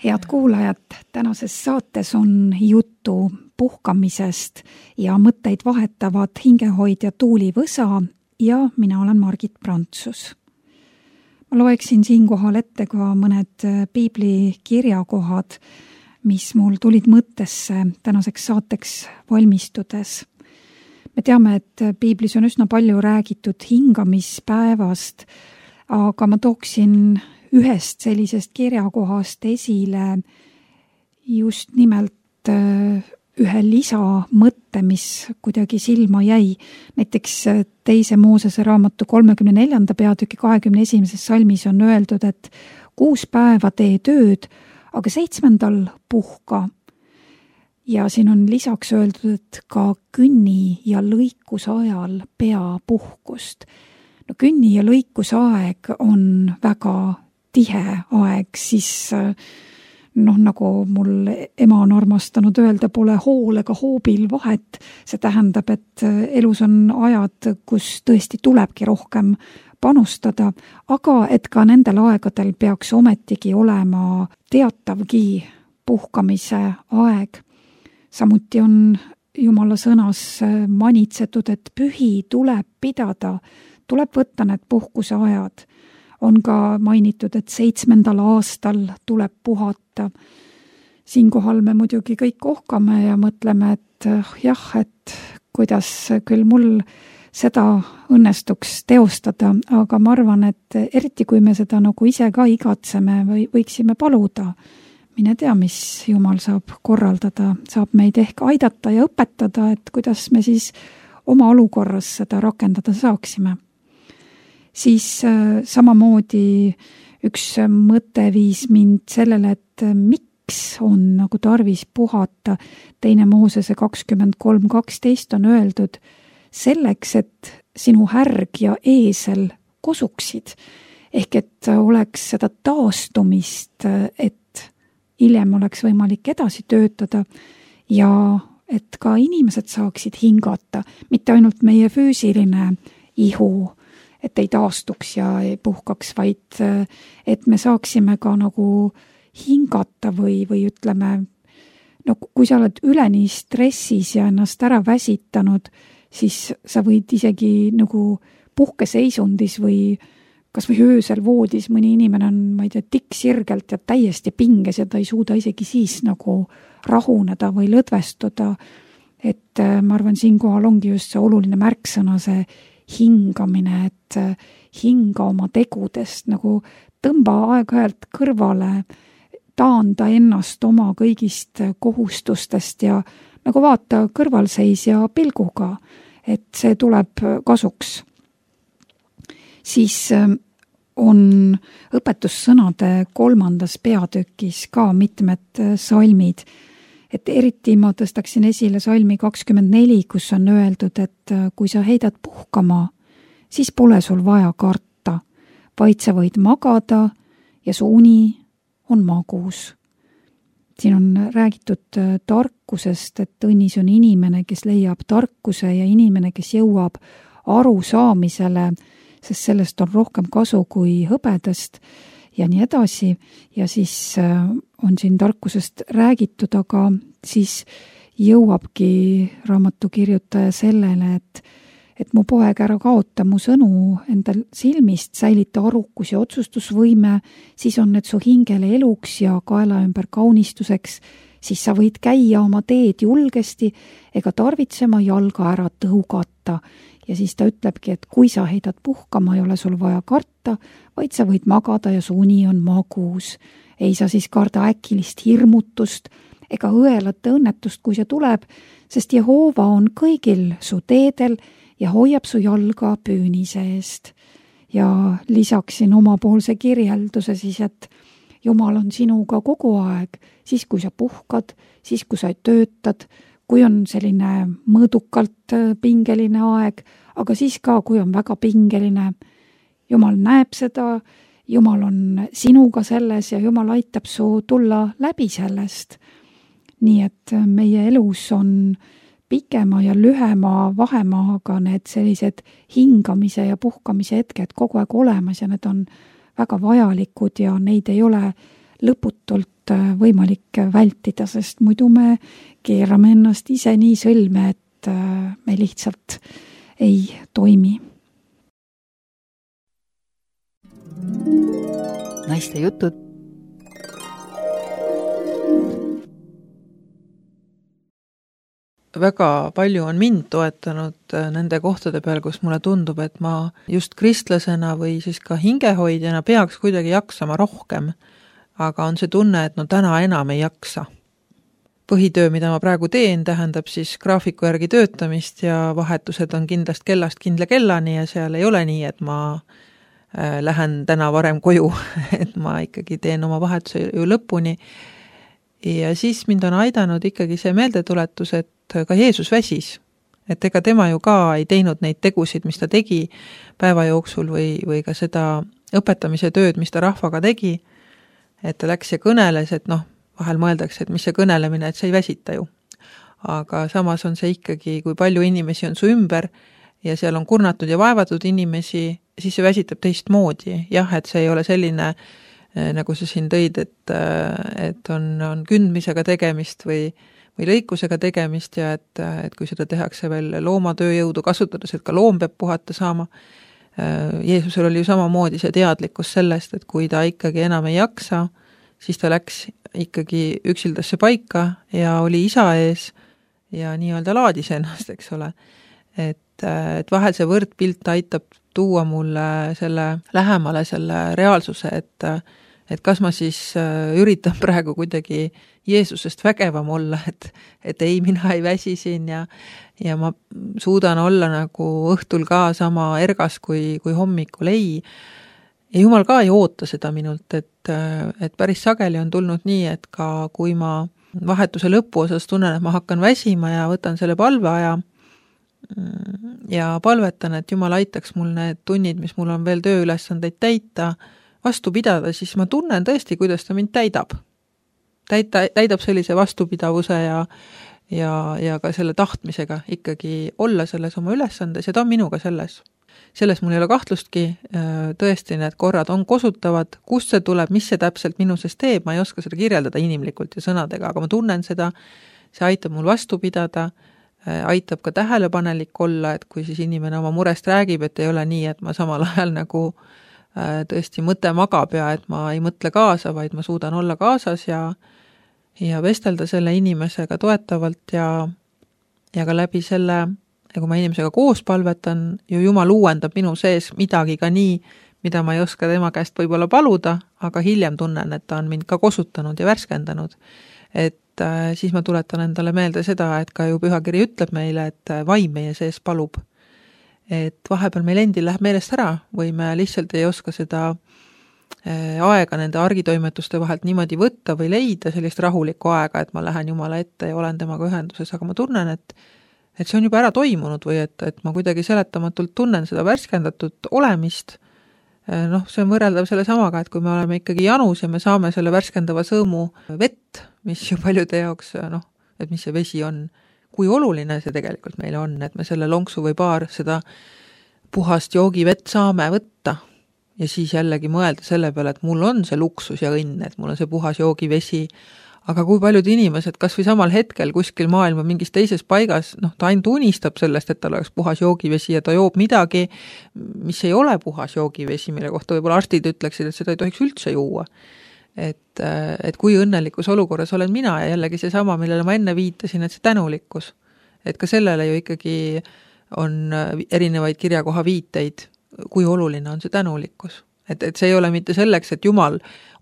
Head kuulajad, tänases saates on juttu puhkamisest ja mõtteid vahetavad hingehoidja Tuuli Võsa ja mina olen Margit Prantsus. Ma loeksin siinkohal ette ka mõned piibli kirjakohad, mis mul tulid mõttesse tänaseks saateks valmistudes. Me teame, et piiblis on üsna palju räägitud hingamispäevast, aga ma tooksin ühest sellisest kirjakohast esile just nimelt ühe lisamõtte, mis kuidagi silma jäi. Näiteks teise Moosese raamatu kolmekümne neljanda peatüki kahekümne esimeses salmis on öeldud, et kuus päeva tee tööd, aga seitsmendal puhka. Ja siin on lisaks öeldud, et ka künni ja lõikuse ajal pea puhkust. No künni ja lõikuse aeg on väga tihe aeg, siis noh, nagu mul ema on armastanud öelda, pole hool ega hoobil vahet. See tähendab, et elus on ajad, kus tõesti tulebki rohkem panustada, aga et ka nendel aegadel peaks ometigi olema teatavgi puhkamise aeg. Samuti on Jumala sõnas manitsetud, et pühi tuleb pidada, tuleb võtta need puhkuse ajad. On ka mainitud, et seitsmendal aastal tuleb puhata. Siinkohal me muidugi kõik ohkame ja mõtleme, et jah, et kuidas küll mul seda õnnestuks teostada, aga ma arvan, et eriti kui me seda nagu ise ka igatseme või võiksime paluda, mine tea, mis Jumal saab korraldada, saab meid ehk aidata ja õpetada, et kuidas me siis oma olukorras seda rakendada saaksime. Siis samamoodi üks mõte viis mind sellele, et miks on nagu tarvis puhata. Teine Moosese kakskümmend kolm kaksteist on öeldud selleks, et sinu härg ja eesel kosuksid. Ehk et oleks seda taastumist, et hiljem oleks võimalik edasi töötada ja et ka inimesed saaksid hingata, mitte ainult meie füüsiline ihu, et ei taastuks ja ei puhkaks, vaid et me saaksime ka nagu hingata või, või ütleme, no kui sa oled üleni stressis ja ennast ära väsitanud, siis sa võid isegi nagu puhkeseisundis või kas või öösel voodis mõni inimene on, ma ei tea, tikksirgelt ja täiesti pinges ja ta ei suuda isegi siis nagu rahuneda või lõdvestuda. Et ma arvan, siinkohal ongi just see oluline märksõna, see hingamine, et hinga oma tegudest, nagu tõmba aeg-ajalt kõrvale, taanda ennast oma kõigist kohustustest ja nagu vaata kõrvalseisja pilguga, et see tuleb kasuks. Siis on õpetussõnade kolmandas peatükis ka mitmed salmid, et eriti ma tõstaksin esile salmi kakskümmend neli, kus on öeldud, et kui sa heidad puhkama, siis pole sul vaja karta, vaid sa võid magada ja su uni on magus. Siin on räägitud tarkusest, et õnnis on inimene, kes leiab tarkuse ja inimene, kes jõuab aru saamisele, sest sellest on rohkem kasu kui hõbedast ja nii edasi. Ja siis on siin tarkusest räägitud, aga siis jõuabki raamatu kirjutaja sellele, et, et mu poeg, ära kaota mu sõnu endal silmist, säilita arukus ja otsustusvõime, siis on need su hingele eluks ja kaela ümber kaunistuseks, siis sa võid käia oma teed julgesti ega tarvitsema jalga ära tõugata. Ja siis ta ütlebki, et kui sa heidad puhkama, ei ole sul vaja karta, vaid sa võid magada ja su uni on magus. Ei sa siis karda äkilist hirmutust ega õelate õnnetust, kui see tuleb, sest Jehoova on kõigil su teedel ja hoiab su jalga püünise eest. Ja lisaksin omapoolse kirjelduse siis, et Jumal on sinuga kogu aeg, siis kui sa puhkad, siis kui sa töötad, kui on selline mõõdukalt pingeline aeg, aga siis ka, kui on väga pingeline. Jumal näeb seda, Jumal on sinuga selles ja Jumal aitab su tulla läbi sellest. Nii et meie elus on pikema ja lühema vahemaaga need sellised hingamise ja puhkamise hetked kogu aeg olemas ja need on väga vajalikud ja neid ei ole lõputult võimalik vältida, sest muidu me keerame ennast ise nii sõlme, et me lihtsalt ei toimi. Naiste jutud. Väga palju on mind toetanud nende kohtade peal, kus mulle tundub, et ma just kristlasena või siis ka hingehoidjana peaks kuidagi jaksama rohkem, aga on see tunne, et no täna enam ei jaksa. Põhitöö, mida ma praegu teen, tähendab siis graafiku järgi töötamist ja vahetused on kindlast kellast kindla kellani ja seal ei ole nii, et ma lähen täna varem koju, et ma ikkagi teen oma vahetuse ju lõpuni. Ja siis mind on aidanud ikkagi see meeldetuletus, et ka Jeesus väsis, et ega tema ju ka ei teinud neid tegusid, mis ta tegi päeva jooksul või, või ka seda õpetamise tööd, mis ta rahvaga tegi, et ta läks ja kõneles, et noh, vahel mõeldakse, et mis see kõnelemine, et see ei väsita ju. Aga samas on see ikkagi, kui palju inimesi on su ümber ja seal on kurnatud ja vaevatud inimesi, siis see väsitab teistmoodi. Jah, et see ei ole selline, nagu sa siin tõid, et, et on, on kündmisega tegemist või, või lõikusega tegemist ja et, et kui seda tehakse veel loomatööjõudu kasutades, et ka loom peab puhata saama. Jeesusel oli ju samamoodi see teadlikkus sellest, et kui ta ikkagi enam ei jaksa, siis ta läks ikkagi üksildasse paika ja oli isa ees ja nii-öelda laadis ennast, eks ole. Et, et vahel see võrdpilt aitab tuua mulle selle lähemale selle reaalsuse, et, et kas ma siis üritan praegu kuidagi Jeesusest vägevam olla, et, et ei, mina ei väsi siin ja, ja ma suudan olla nagu õhtul ka sama ergas kui, kui hommikul, ei. Ja Jumal ka ei oota seda minult, et, et päris sageli on tulnud nii, et ka kui ma vahetuse lõpu osas tunnen, et ma hakkan väsima ja võtan selle palveaja ja palvetan, et Jumal aitaks mul need tunnid, mis mul on veel tööülesandeid täita, vastu pidada, siis ma tunnen tõesti, kuidas ta mind täidab. Täita, täidab sellise vastupidavuse ja, ja, ja ka selle tahtmisega ikkagi olla selles oma ülesandes ja ta on minuga selles. Selles mul ei ole kahtlustki, tõesti need korrad on kosutavad, kust see tuleb, mis see täpselt minu sees teeb, ma ei oska seda kirjeldada inimlikult ja sõnadega, aga ma tunnen seda, see aitab mul vastu pidada, aitab ka tähelepanelik olla, et kui siis inimene oma murest räägib, et ei ole nii, et ma samal ajal nagu tõesti mõte magab ja et ma ei mõtle kaasa, vaid ma suudan olla kaasas ja, ja vestelda selle inimesega toetavalt ja, ja ka läbi selle, ja kui ma inimesega koos palvetan, ju Jumal uuendab minu sees midagi ka nii, mida ma ei oska tema käest võib-olla paluda, aga hiljem tunnen, et ta on mind ka kosutanud ja värskendanud. Et äh, siis ma tuletan endale meelde seda, et ka ju pühakiri ütleb meile, et vaim meie sees palub. Et vahepeal meil endil läheb meelest ära või me lihtsalt ei oska seda äh, aega nende argitoimetuste vahelt niimoodi võtta või leida sellist rahulikku aega, et ma lähen Jumala ette ja olen temaga ühenduses, aga ma tunnen, et et see on juba ära toimunud või et, et ma kuidagi seletamatult tunnen seda värskendatud olemist. Noh, see on võrreldav selle samaga, et kui me oleme ikkagi janus ja me saame selle värskendava sõõmu vett, mis ju paljude jaoks, noh, et mis see vesi on, kui oluline see tegelikult meile on, et me selle lonksu või paar seda puhast joogivett saame võtta ja siis jällegi mõelda selle peale, et mul on see luksus ja õnn, et mul on see puhas joogivesi. Aga kui paljud inimesed, kas või samal hetkel kuskil maailma mingis teises paigas, noh, ta ainult unistab sellest, et tal oleks puhas joogivesi ja ta joob midagi, mis ei ole puhas joogivesi, mille kohta võib-olla arstid ütleksid, et seda ei tohiks üldse juua. Et, et kui õnnelikus olukorras olen mina ja jällegi see sama, millele ma enne viitasin, et see tänulikkus. Et ka sellele ju ikkagi on erinevaid kirjakoha viiteid, kui oluline on see tänulikkus. Et, et see ei ole mitte selleks, et Jumal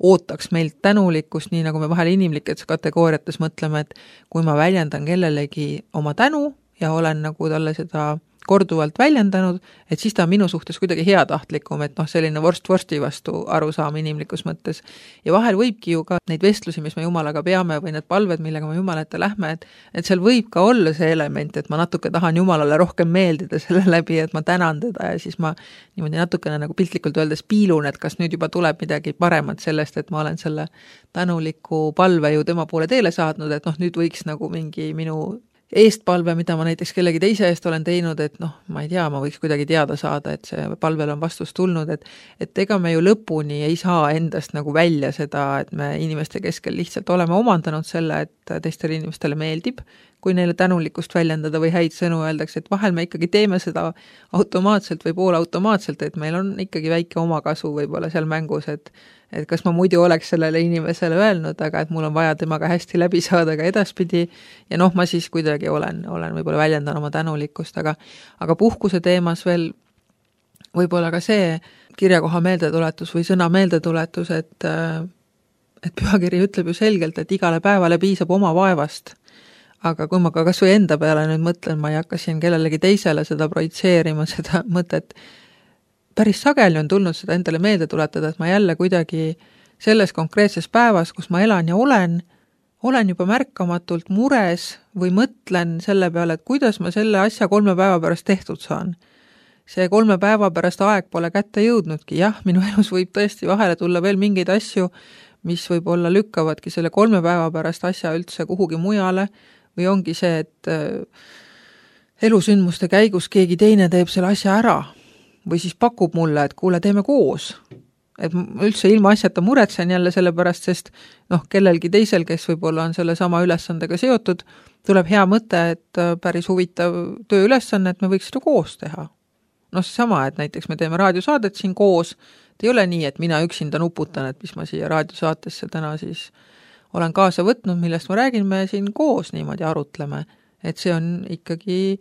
ootaks meilt tänulikkust, nii nagu me vahel inimlikes kategooriates mõtleme, et kui ma väljendan kellelegi oma tänu ja olen nagu talle seda korduvalt väljendanud, et siis ta on minu suhtes kuidagi heatahtlikum, et noh, selline vorst vorsti vastu arusaam inimlikus mõttes. Ja vahel võibki ju ka neid vestlusi, mis me Jumalaga peame või need palved, millega me Jumala ette lähme, et, et seal võib ka olla see element, et ma natuke tahan Jumalale rohkem meeldida selle läbi, et ma tänan teda ja siis ma niimoodi natukene nagu piltlikult öeldes piilun, et kas nüüd juba tuleb midagi paremat sellest, et ma olen selle tänuliku palve ju tema poole teele saadnud, et noh, nüüd võiks nagu mingi minu eestpalve, mida ma näiteks kellegi teise eest olen teinud, et noh, ma ei tea, ma võiks kuidagi teada saada, et see palvel on vastus tulnud, et et ega me ju lõpuni ei saa endast nagu välja seda, et me inimeste keskel lihtsalt oleme omandanud selle, et teistele inimestele meeldib, kui neile tänulikkust väljendada või häid sõnu öeldakse, et vahel me ikkagi teeme seda automaatselt või poolautomaatselt, et meil on ikkagi väike omakasu võib-olla seal mängus, et et kas ma muidu oleks sellele inimesele öelnud, aga et mul on vaja temaga hästi läbi saada ka edaspidi ja noh, ma siis kuidagi olen, olen võib-olla väljendan oma tänulikkust, aga aga puhkuse teemas veel võib-olla ka see kirjakoha meeldetuletus või sõna meeldetuletus, et et pühakiri ütleb ju selgelt, et igale päevale piisab oma vaevast. Aga kui ma ka kas või enda peale nüüd mõtlen, ma ei hakka siin kellelegi teisele seda projitseerima, seda mõtet, päris sageli on tulnud seda endale meelde tuletada, et ma jälle kuidagi selles konkreetses päevas, kus ma elan ja olen, olen juba märkamatult mures või mõtlen selle peale, et kuidas ma selle asja kolme päeva pärast tehtud saan. See kolme päeva pärast aeg pole kätte jõudnudki. Jah, minu elus võib tõesti vahele tulla veel mingeid asju, mis võib-olla lükkavadki selle kolme päeva pärast asja üldse kuhugi mujale või ongi see, et elusündmuste käigus keegi teine teeb selle asja ära või siis pakub mulle, et kuule, teeme koos. Et üldse ilma asjata muretsen jälle selle pärast, sest noh, kellelgi teisel, kes võib-olla on selle sama ülesandega seotud, tuleb hea mõte, et päris huvitav tööülesanne, et me võiks seda koos teha. No sama, et näiteks me teeme raadiosaadet siin koos, et ei ole nii, et mina üksinda nuputan, et mis ma siia raadiosaatesse täna siis olen kaasa võtnud, millest ma räägin, me siin koos niimoodi arutleme. Et see on ikkagi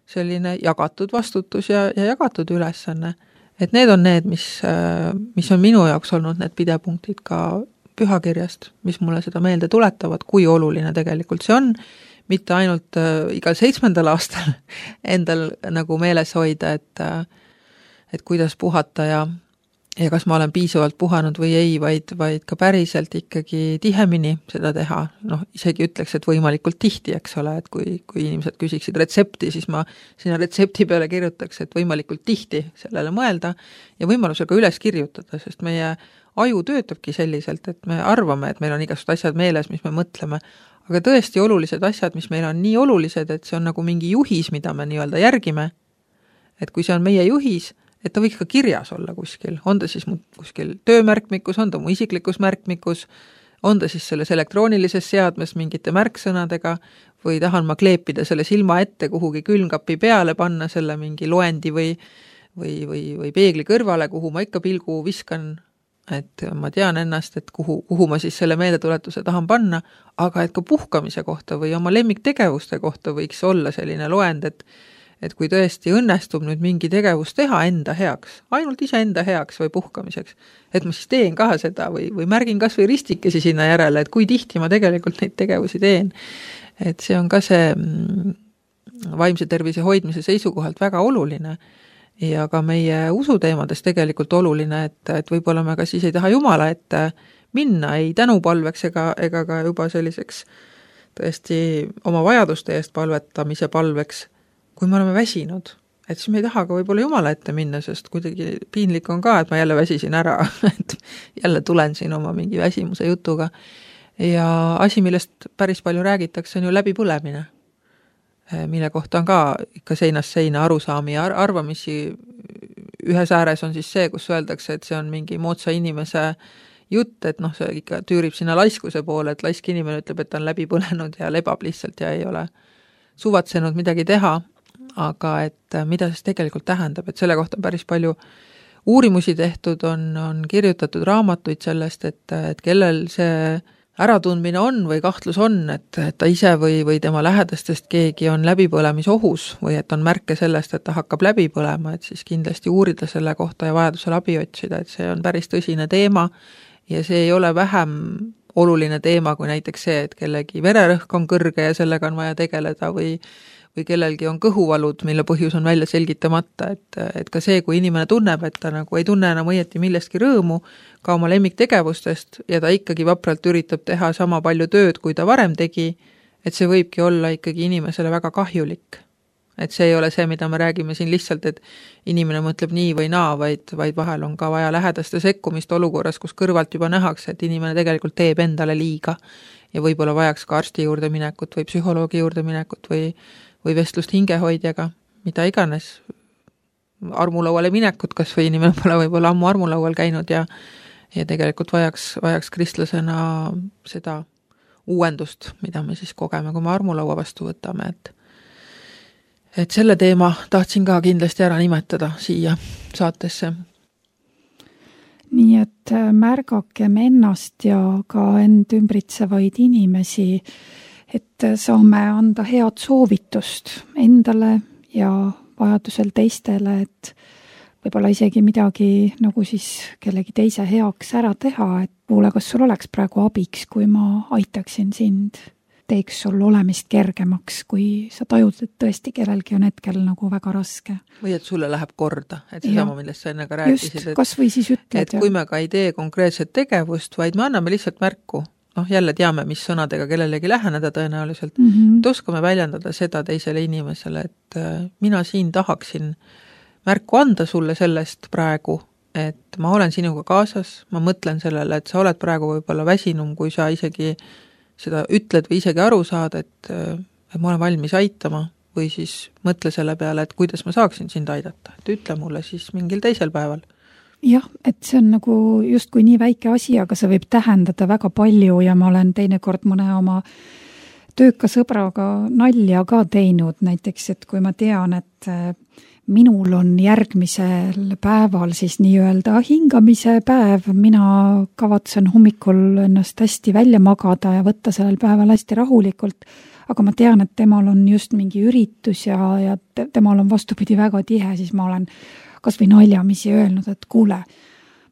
selline jagatud vastutus ja, ja jagatud ülesanne. Et need on need, mis, mis on minu jaoks olnud need pidepunktid ka pühakirjast, mis mulle seda meelde tuletavad, kui oluline tegelikult see on, mitte ainult igal seitsmendal aastal endal nagu meeles hoida, et, et kuidas puhata ja, ja kas ma olen piisavalt puhanud või ei, vaid, vaid ka päriselt ikkagi tihemini seda teha. Noh, isegi ütleks, et võimalikult tihti, eks ole, et kui, kui inimesed küsiksid retsepti, siis ma sinna retsepti peale kirjutaks, et võimalikult tihti sellele mõelda ja võimalusel ka üles kirjutada, sest meie aju töötabki selliselt, et me arvame, et meil on igasugused asjad meeles, mis me mõtleme, aga tõesti olulised asjad, mis meil on nii olulised, et see on nagu mingi juhis, mida me nii-öelda järgime, et kui see on meie juhis, et ta võiks ka kirjas olla kuskil, on ta siis kuskil töömärkmikus, on ta mu isiklikus märkmikus, on ta siis selles elektroonilises seadmes mingite märksõnadega või tahan ma kleepida selle silma ette kuhugi külmkapi peale, panna selle mingi loendi või, või, või, või peegli kõrvale, kuhu ma ikka pilgu viskan, et ma tean ennast, et kuhu, kuhu ma siis selle meeldetuletuse tahan panna, aga et ka puhkamise kohta või oma lemmiktegevuste kohta võiks olla selline loend, et et kui tõesti õnnestub nüüd mingi tegevus teha enda heaks, ainult ise enda heaks või puhkamiseks, et ma siis teen ka seda või, või märgin kas või ristikesi sinna järele, et kui tihti ma tegelikult neid tegevusi teen. Et see on ka see vaimse tervise hoidmise seisukohalt väga oluline ja ka meie usuteemades tegelikult oluline, et, et võib-olla me ka siis ei taha Jumala ette minna ei tänupalveks ega, ega ka juba selliseks tõesti oma vajaduste eest palvetamise palveks, kui me oleme väsinud, et siis me ei taha ka võib-olla Jumala ette minna, sest kuidagi piinlik on ka, et ma jälle väsisin ära, et jälle tulen siin oma mingi väsimuse jutuga. Ja asi, millest päris palju räägitakse, on ju läbipõlemine, mille kohta on ka ikka seinast seina arusaami ja arvamisi. Ühes ääres on siis see, kus öeldakse, et see on mingi moodsa inimese jutt, et noh, see ikka tüürib sinna laiskuse poole, et laisk inimene ütleb, et ta on läbi põlenud ja lebab lihtsalt ja ei ole suvatsenud midagi teha. Aga et mida siis tegelikult tähendab, et selle kohta on päris palju uurimusi tehtud, on, on kirjutatud raamatuid sellest, et, et kellel see äratundmine on või kahtlus on, et, et ta ise või, või tema lähedastest keegi on läbipõlemisohus või et on märke sellest, et ta hakkab läbi põlema, et siis kindlasti uurida selle kohta ja vajadusel abi otsida, et see on päris tõsine teema ja see ei ole vähem oluline teema kui näiteks see, et kellegi vererõhk on kõrge ja sellega on vaja tegeleda või või kellelgi on kõhuvalud, mille põhjus on välja selgitamata, et, et ka see, kui inimene tunneb, et ta nagu ei tunne enam õieti millestki rõõmu, ka oma lemmiktegevustest ja ta ikkagi vapralt üritab teha sama palju tööd, kui ta varem tegi, et see võibki olla ikkagi inimesele väga kahjulik. et see ei ole see, mida me räägime siin lihtsalt, et inimene mõtleb nii või naa, vaid, vaid vahel on ka vaja lähedaste sekkumist olukorras, kus kõrvalt juba nähakse, et inimene tegelikult teeb endale liiga ja võib-olla vajaks ka arsti juurde minekut või psühholoogi juurde minekut või, või vestlust hingehoidjaga, mida iganes, armulauale minekut, kas või inimene pole võib-olla ammu armulaual käinud ja, ja tegelikult vajaks, vajaks kristlasena seda uuendust, mida me siis kogeme, kui me armulaua vastu võtame, et et selle teema tahtsin ka kindlasti ära nimetada siia saatesse. Nii et märgakem ennast ja ka end ümbritsevaid inimesi, et saame anda head soovitust endale ja vajadusel teistele, et võib-olla isegi midagi nagu siis kellegi teise heaks ära teha, et kuule, kas sul oleks praegu abiks, kui ma aitaksin sind, teeks sul olemist kergemaks, kui sa tajud, et tõesti kellelgi on hetkel nagu väga raske. Või et sulle läheb korda, et see sama, millest sa enne ka rääkisid. Just, kas või siis ütled. Et kui me ka ei tee konkreetset tegevust, vaid me anname lihtsalt märku, noh jälle teame, mis sõnadega kellelegi läheneda tõenäoliselt, mm -hmm. et oskame väljendada seda teisele inimesele, et mina siin tahaksin märku anda sulle sellest praegu, et ma olen sinuga kaasas, ma mõtlen sellele, et sa oled praegu võib-olla väsinum, kui sa isegi seda ütled või isegi aru saad, et, et ma olen valmis aitama või siis mõtle selle peale, et kuidas ma saaksin sind aidata, et ütle mulle siis mingil teisel päeval. Jah, et see on nagu justkui nii väike asi, aga see võib tähendada väga palju ja ma olen teinekord mõne oma tööka sõbraga nalja ka teinud, näiteks, et kui ma tean, et minul on järgmisel päeval siis nii-öelda hingamise päev, mina kavatsen hommikul ennast hästi välja magada ja võtta sellel päeval hästi rahulikult, aga ma tean, et temal on just mingi üritus ja, ja temal on vastupidi väga tihe, siis ma olen kas või naljamisi öelnud, et kuule,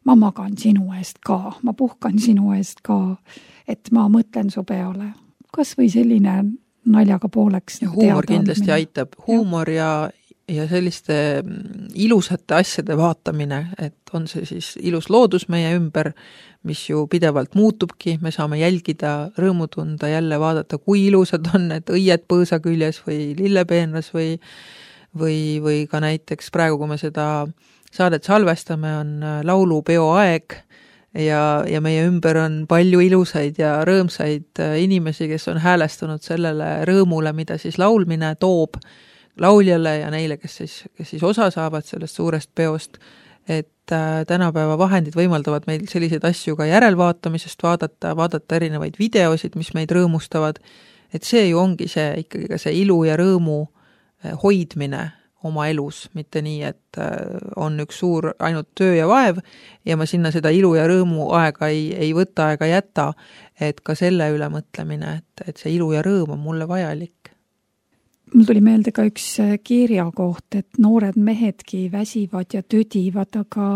ma magan sinu eest ka, ma puhkan sinu eest ka, et ma mõtlen su peale. Kas või selline naljaga pooleks. Ja huumor kindlasti aitab. Huumor ja ja selliste ilusate asjade vaatamine, et on see siis ilus loodus meie ümber, mis ju pidevalt muutubki, me saame jälgida, rõõmu tunda, jälle vaadata, kui ilusad on need õied põõsa küljes või lillepeenras või, või, või ka näiteks praegu, kui me seda saadet salvestame, on laulupeo aeg ja, ja meie ümber on palju ilusaid ja rõõmsaid inimesi, kes on häälestunud sellele rõõmule, mida siis laulmine toob lauljale ja neile, kes siis, kes siis osa saavad sellest suurest peost, et äh, tänapäeva vahendid võimaldavad meil selliseid asju ka järelvaatamisest vaadata, vaadata erinevaid videosid, mis meid rõõmustavad, et see ju ongi see ikkagi ka see ilu ja rõõmu hoidmine oma elus, mitte nii, et äh, on üks suur ainult töö ja vaev ja ma sinna seda ilu ja rõõmu aega ei, ei võta ega jäta, et ka selle üle mõtlemine, et, et see ilu ja rõõm on mulle vajalik. Mul tuli meelde ka üks kirja koht, et noored mehedki väsivad ja tüdivad, aga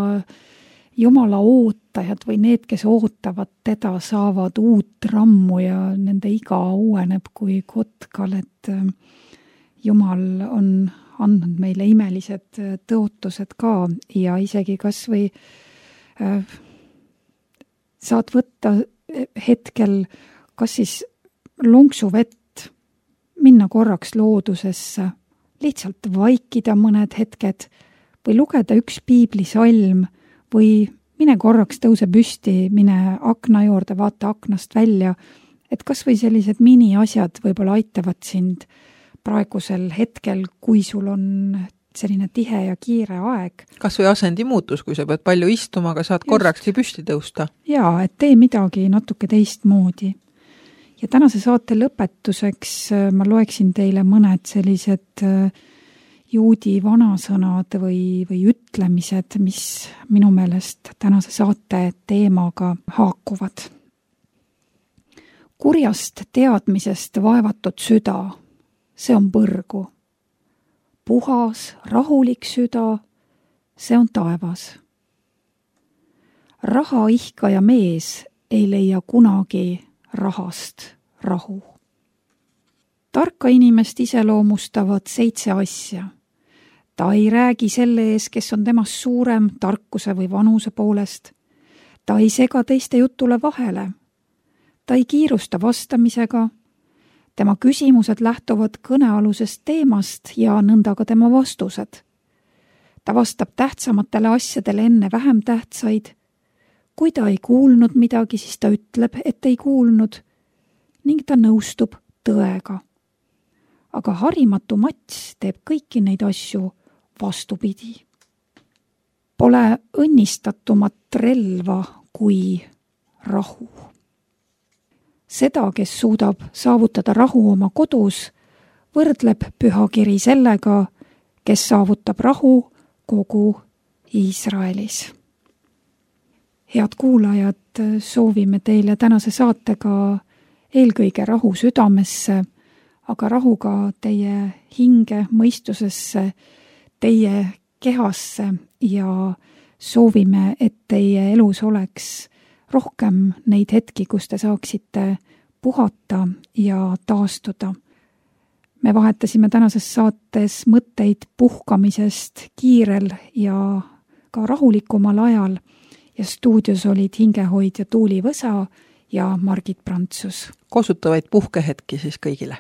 Jumala ootajad või need, kes ootavad teda, saavad uut rammu ja nende iga uueneb kui kotkal, et Jumal on andnud meile imelised tõotused ka ja isegi kas või äh, saad võtta hetkel kas siis lonksu vett, minna korraks loodusesse, lihtsalt vaikida mõned hetked või lugeda üks piiblisalm või mine korraks tõuse püsti, mine akna juurde, vaata aknast välja, et kas või sellised miniasjad võib-olla aitavad sind praegusel hetkel, kui sul on selline tihe ja kiire aeg. Kas või asendi muutus, kui sa pead palju istuma, aga saad korrakski püsti tõusta. Jaa, et tee midagi natuke teistmoodi. Ja tänase saate lõpetuseks ma loeksin teile mõned sellised juudi vanasõnad või, või ütlemised, mis minu meelest tänase saate teemaga haakuvad. Kurjast teadmisest vaevatud süda, see on põrgu. Puhas, rahulik süda, see on taevas. Raha ihkaja mees ei leia kunagi rahast rahu. Tarka inimest iseloomustavad seitse asja. Ta ei räägi selle ees, kes on temast suurem tarkuse või vanuse poolest. Ta ei sega teiste jutule vahele. Ta ei kiirusta vastamisega. tema küsimused lähtuvad kõnealusest teemast ja nõnda ka tema vastused. Ta vastab tähtsamatele asjadele enne vähem tähtsaid. Kui ta ei kuulnud midagi, siis ta ütleb, et ei kuulnud ning ta nõustub tõega. Aga harimatu Mats teeb kõiki neid asju vastupidi. Pole õnnistatumat relva kui rahu. Seda, kes suudab saavutada rahu oma kodus, võrdleb pühakiri sellega, kes saavutab rahu kogu Iisraelis. Head kuulajad, soovime teile tänase saatega eelkõige rahu südamesse, aga rahu ka teie hinge, mõistusesse, teie kehasse ja soovime, et teie elus oleks rohkem neid hetki, kus te saaksite puhata ja taastuda. Me vahetasime tänases saates mõtteid puhkamisest kiirel ja ka rahulikumal ajal ja stuudios olid hingehoidja Tuuli Võsa ja Margit Prantsus. Kosutavaid puhkehetki siis kõigile.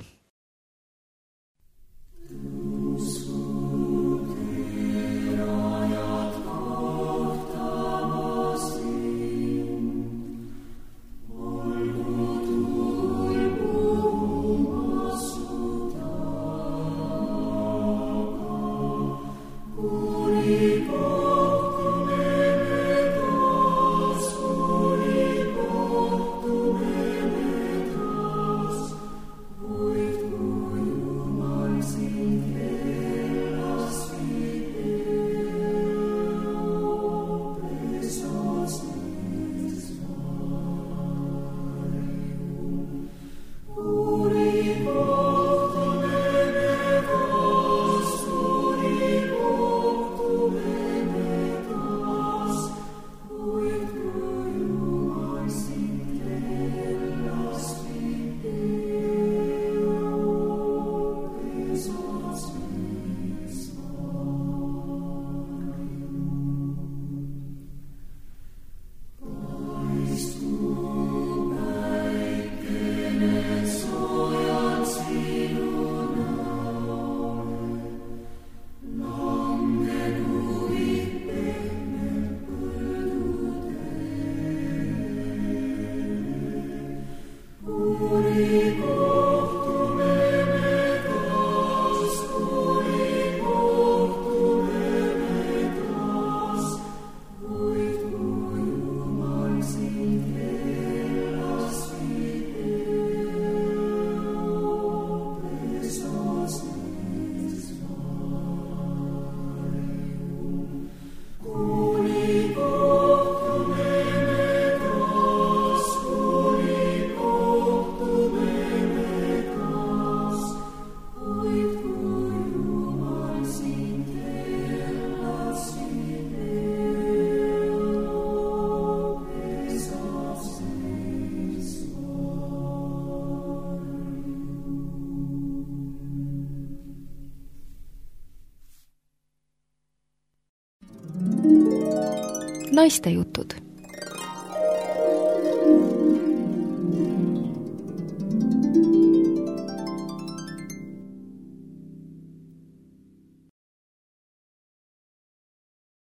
Naistejutud.